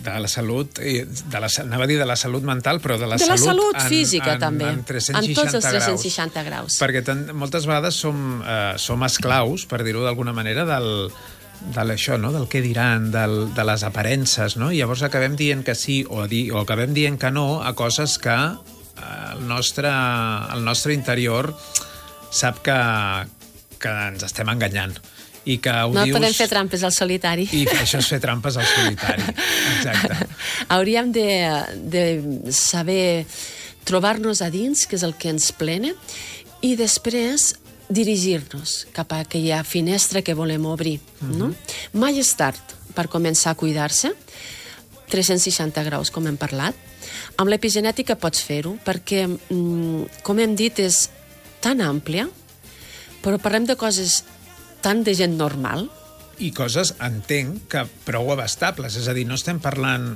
De la salut, de la, anava a dir de la salut mental, però de la de salut... De la salut en, física, en, també. En, en tots els tres cents seixanta graus. Perquè ten, moltes vegades som, eh, som esclaus, per dir-ho d'alguna manera, del, de això, no? Del què diran, del, de les aparences, no? I llavors acabem dient que sí o, di, o acabem dient que no a coses que eh, el, nostre, el nostre interior sap que, que ens estem enganyant. I que ho no dius... podem fer trampes al solitari. I això és fer trampes al solitari. Exacte. Hauríem de, de saber trobar-nos a dins, que és el que ens plena, i després dirigir-nos cap a aquella finestra que volem obrir. Uh-huh. No? Mai és tard per començar a cuidar-se. tres cents seixanta graus, com hem parlat. Amb l'epigenètica pots fer-ho, perquè, com hem dit, és tan àmplia, però parlem de coses tant de gent normal. I coses, entenc, que prou abastables. És a dir, no estem parlant...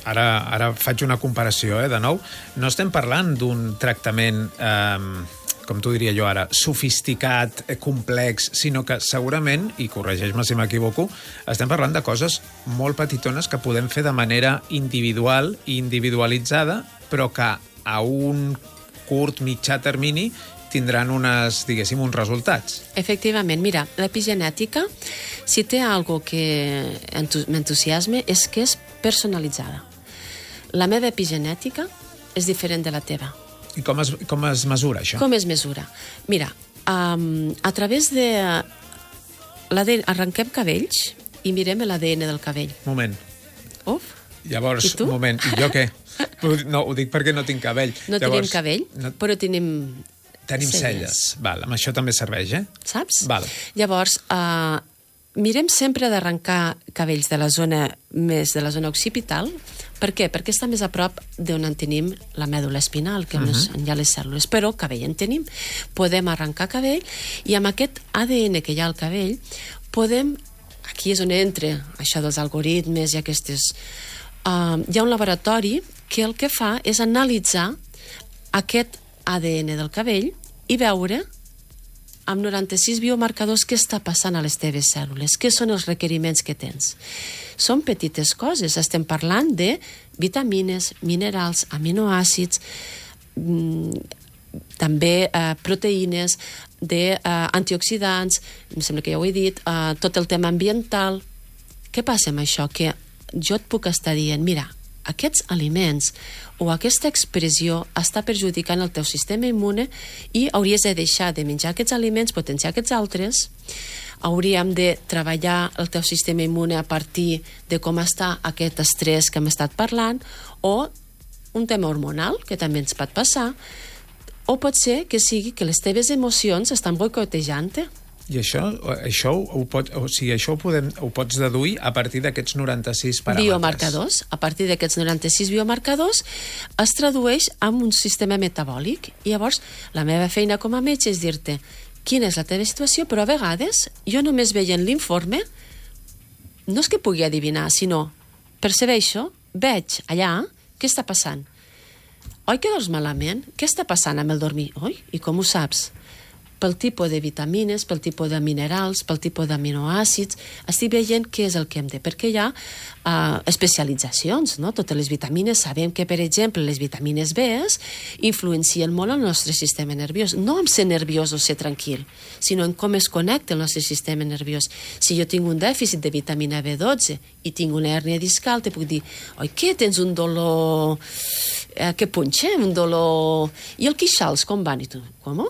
Ara, ara faig una comparació, eh, de nou. No estem parlant d'un tractament, eh, com t'ho diria jo ara, sofisticat, eh, complex, sinó que segurament, i corregeix-me si m'equivoco, estem parlant de coses molt petitones que podem fer de manera individual i individualitzada, però que a un curt, mitjà termini tindran unes, diguéssim, uns resultats. Efectivament. Mira, l'epigenètica, si té algo que m'entusiasma, és que és personalitzada. La meva epigenètica és diferent de la teva. I com es, com es mesura, això? Com es mesura? Mira, um, a través de l'A D N, arrenquem cabells i mirem l'A D N del cabell. Moment. Uf. Llavors, I tu? un moment, i jo què? No, ho dic perquè no tinc cabell. No Llavors, tenim cabell, no... però tenim... Tenim celles. celles. Val, amb això també serveix, eh? Saps? Val. Llavors, uh, mirem sempre d'arrencar cabells de la zona més de la zona occipital. Per què? Perquè està més a prop d'on en tenim la mèdula espinal, que uh -huh. on hi ha les cèl·lules, però cabell en tenim. Podem arrencar cabell i amb aquest A D N que hi ha al cabell podem, aquí és on entra això dels algoritmes i aquestes... Uh, hi ha un laboratori que el que fa és analitzar aquest A D N del cabell i veure amb noranta-sis biomarcadors què està passant a les teves cèl·lules, què són els requeriments que tens. Són petites coses, estem parlant de vitamines, minerals, aminoàcids, mmm, també eh, proteïnes, de eh, antioxidants, em sembla que ja ho he dit, eh, tot el tema ambiental. Què passa amb això? Que jo et puc estar dient, mira, aquests aliments o aquesta expressió està perjudicant el teu sistema immune i hauries de deixar de menjar aquests aliments, potenciar aquests altres. Hauríem de treballar el teu sistema immune a partir de com està aquest estrès que hem estat parlant, o un tema hormonal, que també ens pot passar, o pot ser que sigui que les teves emocions estan boicotejant-te. I això, això, ho, pot, o sigui, això ho, podem, ho pots deduir a partir d'aquests noranta-sis paràmetres. Biomarcadors. A partir d'aquests noranta-sis biomarcadors es tradueix en un sistema metabòlic. I llavors, la meva feina com a metge és dir-te quina és la teva situació, però a vegades jo només veient l'informe no és que pugui adivinar, sinó percebeixo, veig allà què està passant. Oi que dors malament? Què està passant amb el dormir? Oi? I com ho saps? Pel tipus de vitamines, pel tipus de minerals, pel tipus d'aminoàcids, estic veient què és el que hem de... Perquè hi ha uh, especialitzacions, no? Totes les vitamines, sabem que, per exemple, les vitamines B influencien molt el nostre sistema nerviós. No en ser nerviós o ser tranquil, sinó en com es connecta el nostre sistema nerviós. Si jo tinc un dèficit de vitamina B dotze i tinc una hèrnia discal, te puc dir, oi, què, tens un dolor... Eh, que punxa, un dolor... I el queixals, com van? I tu, com?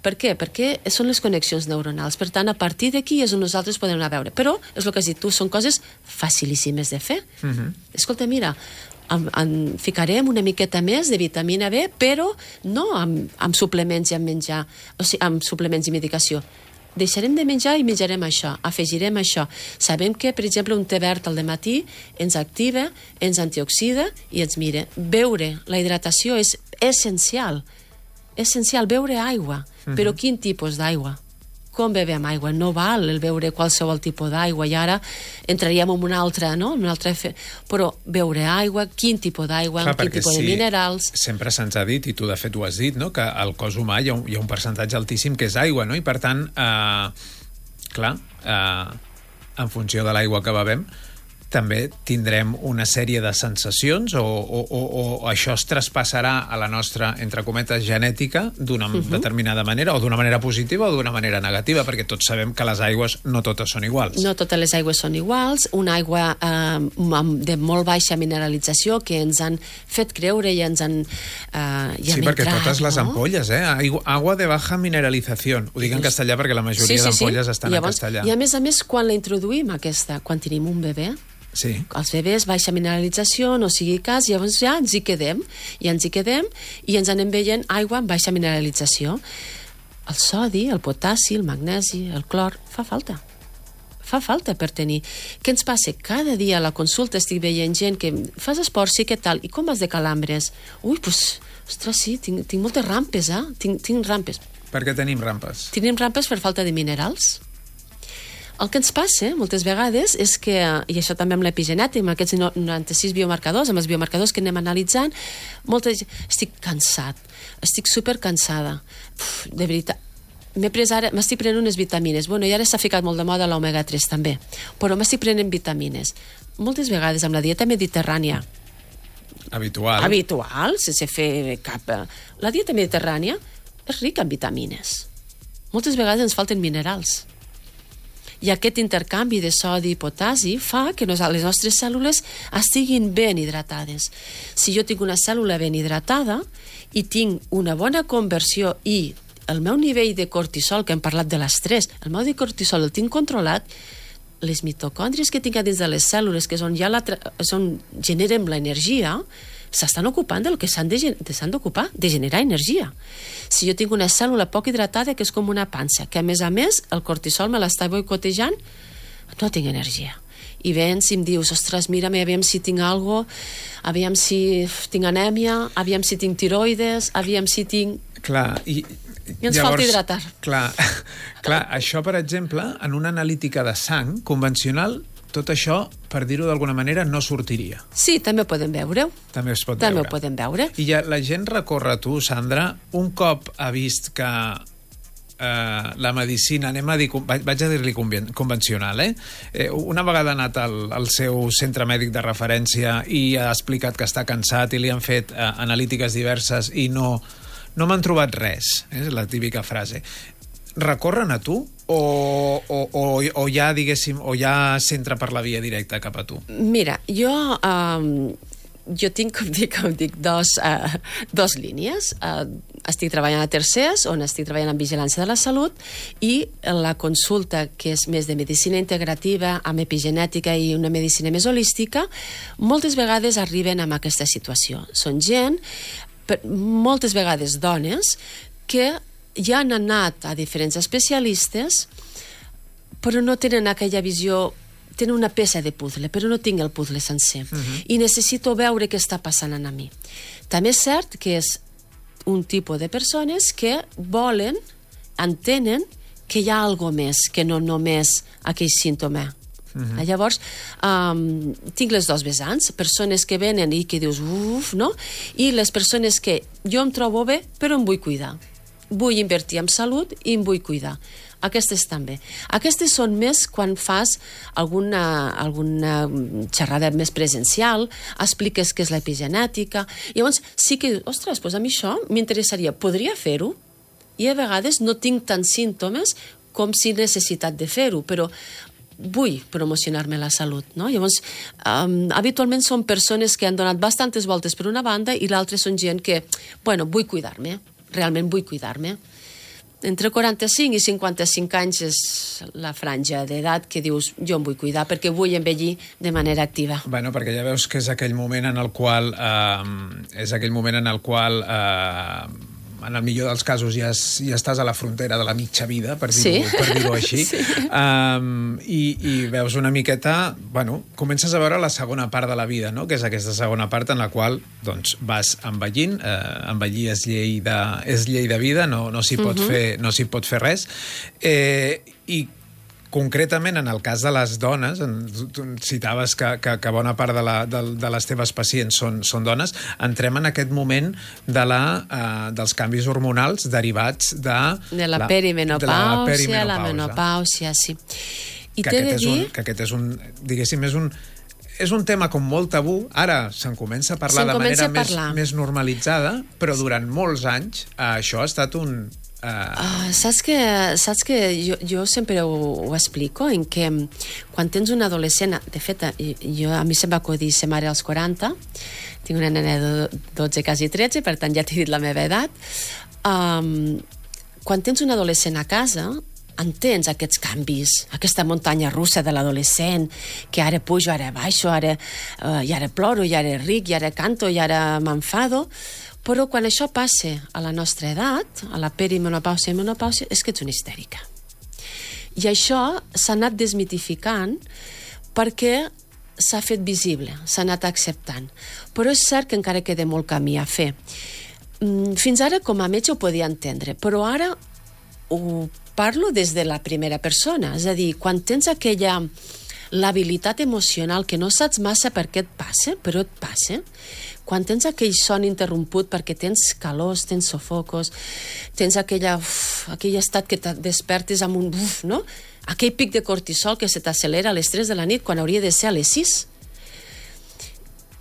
Per què? Perquè són les connexions neuronals. Per tant, a partir d'aquí és on nosaltres podem anar a veure. Però, és el que has dit tu, són coses facilíssimes de fer. Uh -huh. Escolta, mira, en, en ficarem una miqueta més de vitamina B, però no amb, amb suplements i amb menjar, o sigui, amb suplements i medicació. Deixarem de menjar i menjarem això, afegirem això. Sabem que, per exemple, un te verd al dematí ens activa, ens antioxida i ens mira. Beure, la hidratació és essencial. Essencial, beure aigua. Uh -huh. Però quin tipus d'aigua? Com bevem aigua? No val el beure qualsevol tipus d'aigua, i ara entraríem en una altra, no? En una altra fe... Però beure aigua, quin tipus d'aigua, clar, quin tipus sí, de minerals... Sempre se'ns ha dit, i tu de fet ho has dit, no? Que al cos humà hi ha un, hi ha un percentatge altíssim que és aigua, no? I per tant, eh, clar, eh, en funció de l'aigua que bevem, també tindrem una sèrie de sensacions o, o, o, o això es traspassarà a la nostra, entre cometes, genètica d'una uh-huh. determinada manera, o d'una manera positiva o d'una manera negativa, perquè tots sabem que les aigües no totes són iguals. No totes les aigües són iguals. Una aigua eh, de molt baixa mineralització que ens han fet creure i ens han eh, ja sí, perquè entrat, totes no? les ampolles, eh? Agua de baja mineralització. Ho dic en castellà perquè la majoria sí, sí, d'ampolles sí. estan llavors, en castellà. I a més a més, quan la introduïm aquesta, quan tenim un bebè, sí. Els bebès, baixa mineralització, no sigui cas, llavors ja ens hi quedem, i ens hi quedem, i ens anem veient aigua amb baixa mineralització. El sodi, el potassi, el magnesi, el clor, fa falta. Fa falta per tenir. Què ens passa? Cada dia a la consulta estic veient gent que fas esport, sí, què tal? I com vas de calambres? Ui, doncs, ostres, sí, tinc, tinc moltes rampes, eh? Tinc, tinc rampes. Per què tenim rampes? Tenim rampes per falta de minerals. El que ens passa moltes vegades és que, i això també amb l'epigenètica, amb aquests noranta-sis biomarcadors, amb els biomarcadors que anem analitzant, molta gent, estic cansat, estic supercansada. Uf, de veritat, m'he pres ara, m'estic prenent unes vitamines. Bueno, i ara s'ha ficat molt de moda l'omega tres també, però m'estic prenent vitamines. Moltes vegades amb la dieta mediterrània, habitual, habitual, sense fer cap... La dieta mediterrània és rica en vitamines. Moltes vegades ens falten minerals. I aquest intercanvi de sodi i potassi fa que les nostres cèl·lules estiguin ben hidratades. Si jo tinc una cèl·lula ben hidratada i tinc una bona conversió i el meu nivell de cortisol, que hem parlat de l'estrès, el meu de cortisol el tinc controlat, les mitocòndries que tinc a dins de les cèl·lules, que és on, ja la és on generem l'energia, s'estan ocupant del que s'han d'ocupar, de generar energia. Si jo tinc una cèl·lula poc hidratada, que és com una pansa, que a més a més el cortisol me l'està boicotejant, no tinc energia. I vens i em dius, ostres, mira-me, aviam si tinc algo, aviam si tinc anèmia, aviam si tinc tiroides, aviam si tinc... Clar, i... I ens falta hidratar. Clar, clar, això, per exemple, en una analítica de sang convencional, tot això, per dir-ho d'alguna manera, no sortiria. Sí, també podem veure-ho. També es pot també veure. També ho podem veure. I ja la gent recorre a tu, Sandra, un cop ha vist que eh, la medicina, anem a dir, vaig a dir-li convencional, eh? eh? Una vegada ha anat al, al seu centre mèdic de referència i ha explicat que està cansat i li han fet eh, analítiques diverses i no, no m'han trobat res, és la típica frase. Recorren a tu o, o, o, o ja, diguéssim, o ja s'entra per la via directa cap a tu? Mira, jo... Um, jo tinc, com dic, com dic dos, uh, dos línies. Uh, estic treballant a Tercers, on estic treballant en vigilància de la salut, i la consulta, que és més de medicina integrativa, amb epigenètica i una medicina més holística, moltes vegades arriben amb aquesta situació. Són gent, per, moltes vegades dones, que ja han anat a diferents especialistes, però no tenen aquella visió, tenen una peça de puzzle, però no tinc el puzzle sencer. Uh-huh. I necessito veure què està passant a mi. També és cert que és un tipus de persones que volen, entenen que hi ha alguna més, que no només aquell símptoma. Uh-huh. Llavors, um, tinc les dos vessants, persones que venen i que dius, uf, no? I les persones que jo em trobo bé, però em vull cuidar. Vull invertir en salut i em vull cuidar. Aquestes també. Aquestes són més quan fas alguna, alguna xerrada més presencial, expliques què és l'epigenètica, i llavors sí que, ostres, doncs a mi això m'interessaria, podria fer-ho? I a vegades no tinc tants símptomes com si he necessitat de fer-ho, però vull promocionar-me la salut, no? Llavors, um, habitualment són persones que han donat bastantes voltes per una banda i l'altra són gent que, bueno, vull cuidar-me, realment vull cuidar-me. Entre quaranta-cinc i cinquanta-cinc anys és la franja d'edat que dius, jo em vull cuidar perquè vull envellir de manera activa. Bueno, perquè ja veus que és aquell moment en el qual eh, és aquell moment en el qual eh, en el millor dels casos ja, es, ja estàs a la frontera de la mitja vida, per dir-ho sí. per dir-ho així. Sí. Um, i, I veus una miqueta... Bueno, comences a veure la segona part de la vida, no? Que és aquesta segona part en la qual doncs, vas envellint. Uh, envellir és llei de, és llei de vida, no, no s'hi pot, uh-huh. fer, no s'hi pot fer res. Eh, I concretament, en el cas de les dones, tu citaves que, que, que bona part de, la, de, de les teves pacients són, són dones, entrem en aquest moment de la, uh, dels canvis hormonals derivats de... De la, la perimenopàusia, de la perimenopàusia, la menopàusia, sí. I que, t'he aquest de dir... un, que aquest és un, diguéssim, és un... És un tema com molt tabú, ara se'n comença a parlar de manera més, més normalitzada, però durant molts anys uh, això ha estat un... Uh... Uh, saps que, saps que jo, jo sempre ho, ho explico, en que quan tens un adolescent, de fet, jo, a mi se'm va acudir ser mare als quaranta, tinc una nena de dotze, quasi tretze, per tant ja t'he dit la meva edat. Um, quan tens un adolescent a casa, entens aquests canvis, aquesta muntanya russa de l'adolescent, que ara pujo, ara baixo, ara, uh, i ara ploro, i ara ric, i ara canto, i ara m'enfado. Però quan això passa a la nostra edat, a la perimenopàusia i menopàusia, és que ets una histèrica. I això s'ha anat desmitificant perquè s'ha fet visible, s'ha anat acceptant. Però és cert que encara queda molt camí a fer. Fins ara, com a metge, ho podia entendre, però ara ho parlo des de la primera persona. És a dir, quan tens aquella l'habilitat emocional que no saps massa per què et passa, però et passa, quan tens aquell son interromput perquè tens calors, tens sofocos, tens aquella, uf, aquell estat que et despertes amb un uf, no? Aquell pic de cortisol que se t'accelera a les tres de la nit quan hauria de ser a les sis.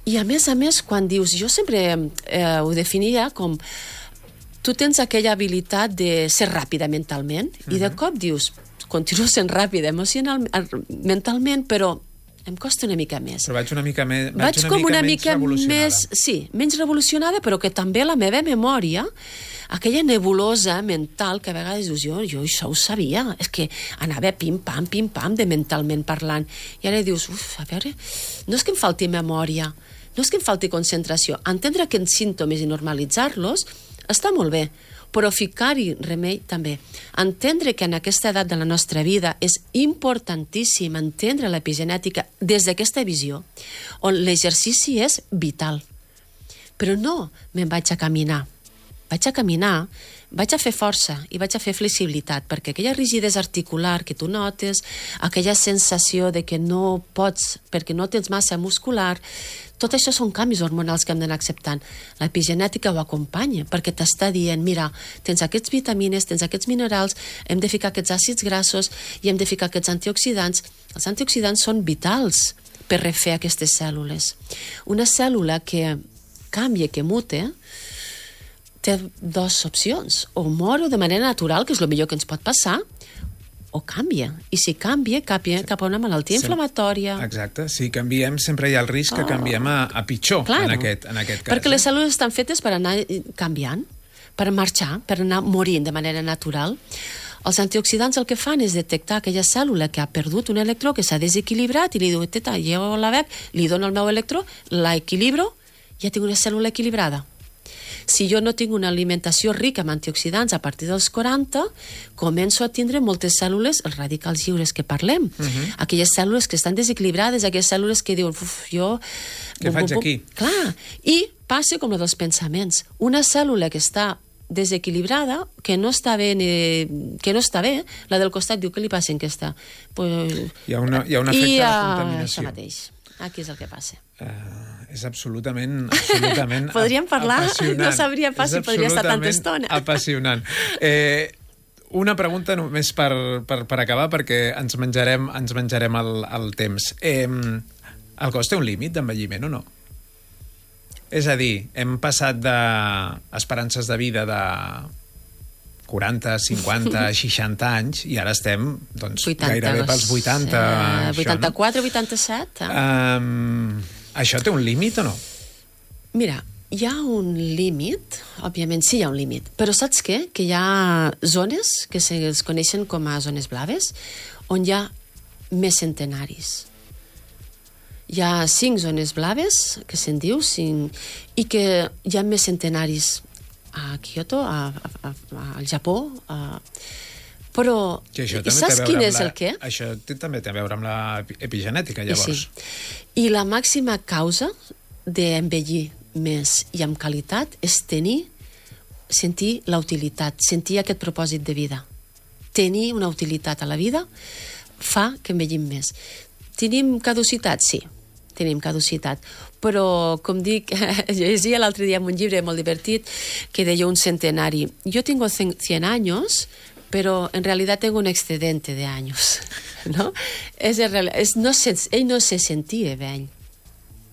I a més a més, quan dius, jo sempre eh, ho definia com tu tens aquella habilitat de ser ràpida mentalment, uh-huh. i de cop dius, continuo sent ràpida emocionalment, mentalment, però em costa una mica més. Però vaig una mica, me, vaig vaig una com mica una menys mica revolucionada. Més, sí, menys revolucionada, però que també la meva memòria, aquella nebulosa mental que a vegades dius, jo, jo això ho sabia, és que anava pim-pam, pim-pam, de mentalment parlant. I ara dius, uf, a veure, no és que em falti memòria, no és que em falti concentració. Entendre aquests símptomes i normalitzar-los està molt bé, però ficar-hi remei també. Entendre que en aquesta edat de la nostra vida és importantíssim entendre l'epigenètica des d'aquesta visió, on l'exercici és vital. Però no me'n vaig a caminar. Vaig a caminar, vaig a fer força i vaig a fer flexibilitat, perquè aquella rigidesa articular que tu notes, aquella sensació de que no pots perquè no tens massa muscular, tot això són canvis hormonals que hem d'anar acceptant. L'epigenètica ho acompanya, perquè t'està dient, mira, tens aquests vitamines, tens aquests minerals, hem de ficar aquests àcids grassos i hem de ficar aquests antioxidants. Els antioxidants són vitals per refer aquestes cèl·lules. Una cèl·lula que canvia, que mute, té dues opcions. O mor de manera natural, que és el millor que ens pot passar, o canvia. I si canvia, canvia cap a una malaltia inflamatòria. Exacte. Si canviem, sempre hi ha el risc que canviem a, a pitjor, claro, en, aquest, en aquest cas. Perquè les cèl·lules estan fetes per anar canviant, per marxar, per anar morint de manera natural. Els antioxidants el que fan és detectar aquella cèl·lula que ha perdut un electró, que s'ha desequilibrat, i li diu, teta, jo la veig, li dono el meu electró, la equilibro, ja tinc una cèl·lula equilibrada. Si jo no tinc una alimentació rica en antioxidants a partir dels quaranta, començo a tindre moltes cèl·lules, els radicals lliures que parlem, uh-huh. aquelles cèl·lules que estan desequilibrades, aquelles cèl·lules que diuen, uf, jo... Què faig bum, bum, aquí? Clar, i passa com el dels pensaments. Una cèl·lula que està desequilibrada, que no està bé, ni, que no està bé, la del costat diu, què li passa en aquesta? Pues, hi, ha una, hi ha un efecte i, de uh, contaminació. Això mateix. Aquí és el que passa. Uh, és absolutament, absolutament podríem parlar, apassionant. No sabria pas si podria estar tanta estona. Apassionant. Eh, una pregunta només per, per, per acabar, perquè ens menjarem, ens menjarem el, el temps. Eh, el cos té un límit d'envelliment o no? És a dir, hem passat d'esperances de vida de quaranta, cinquanta, seixanta anys i ara estem doncs, vuitanta, gairebé pels vuitanta. Eh, vuitanta-quatre, vuitanta-set. Eh? Um, això té un límit o no? Mira, hi ha un límit, òbviament sí hi ha un límit, però saps què? Que hi ha zones que es coneixen com a zones blaves on hi ha més centenaris. Hi ha cinc zones blaves, que se'n diu, cinc, i que hi ha més centenaris a Kyoto, a, a, a, al Japó, a... però i saps quin és la, el què? Això també té a veure amb l'epigenètica, llavors. Sí. I la màxima causa d'envellir més i amb qualitat és tenir, sentir la utilitat, sentir aquest propòsit de vida. Tenir una utilitat a la vida fa que envellim més. Tenim caducitat? Sí, tenim caducitat. Però, com dic, llegia l'altre dia en un llibre molt divertit que deia un centenari. Jo tengo cien años, pero en realidad tengo un excedente de años. ¿No? És, és, no se, ell no se sentia vell.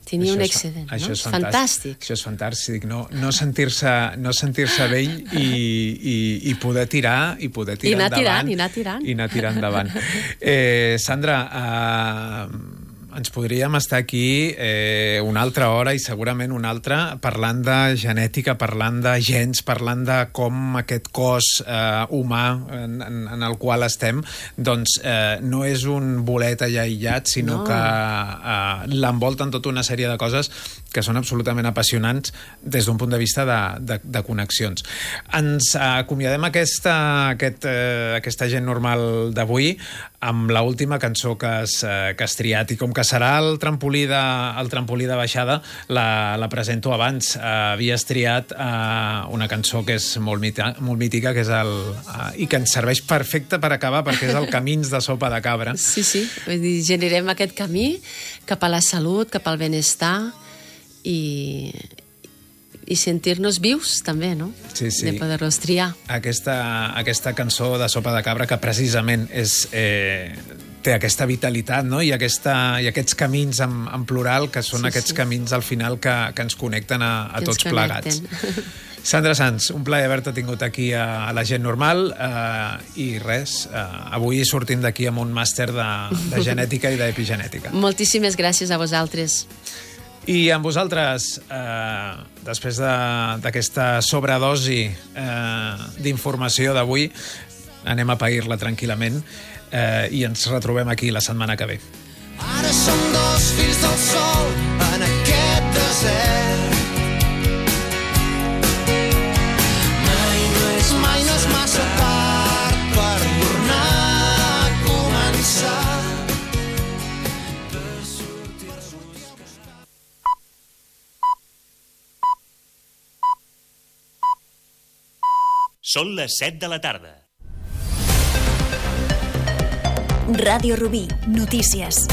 Tenia això un és, excedent, això no? És fantàstic. fantàstic. Això és fantàstic, no, no sentir-se no sentir-se vell i, i, i poder tirar i poder tirar I anar endavant. Tirant, i anar tirant. I anar tirant endavant. Eh, Sandra, eh, ens podríem estar aquí eh, una altra hora i segurament una altra parlant de genètica, parlant de gens, parlant de com aquest cos eh, humà en, en, en el qual estem doncs eh, no és un bolet allà aïllat, sinó no. que eh, l'envolten tota una sèrie de coses que són absolutament apassionants des d'un punt de vista de, de, de connexions. Ens acomiadem aquesta, aquest, eh, aquesta gent normal d'avui amb l'última cançó que has, eh, que has triat, i com que serà el trampolí de, el trampolí de baixada, la, la presento abans. Eh, havies triat eh, una cançó que és molt, mita, molt mítica, que és el, eh, i que ens serveix perfecte per acabar, perquè és el Camins de sopa de cabra. Sí, sí, vull dir, generem aquest camí cap a la salut, cap al benestar, i, i sentir-nos vius també, no? Sí, sí. De poder-los triar. Aquesta, aquesta cançó de sopa de cabra que precisament és, eh, té aquesta vitalitat, no? I, aquesta, i aquests camins en, en plural, que són sí, aquests sí. camins al final que, que ens connecten a, a tots plegats. Sandra Sans, un plaer haver-te tingut aquí a, a La Gent Normal, eh, i res, eh, avui sortim d'aquí amb un màster de, de genètica i d'epigenètica. Moltíssimes gràcies a vosaltres. I amb vosaltres, eh, després d'aquesta de, sobredosi eh, d'informació d'avui, anem a pair-la tranquil·lament eh, i ens retrobem aquí la setmana que ve. Ara som dos fills del sol en aquest desert. Mai no és Són les set de la tarda. Ràdio Rubí, notícies.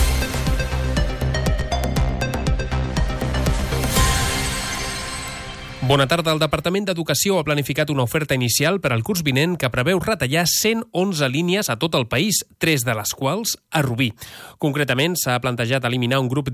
Bona tarda. El Departament d'Educació ha planificat una oferta inicial per al curs vinent que preveu retallar cent onze línies a tot el país, tres de les quals a Rubí. Concretament, s'ha plantejat eliminar un grup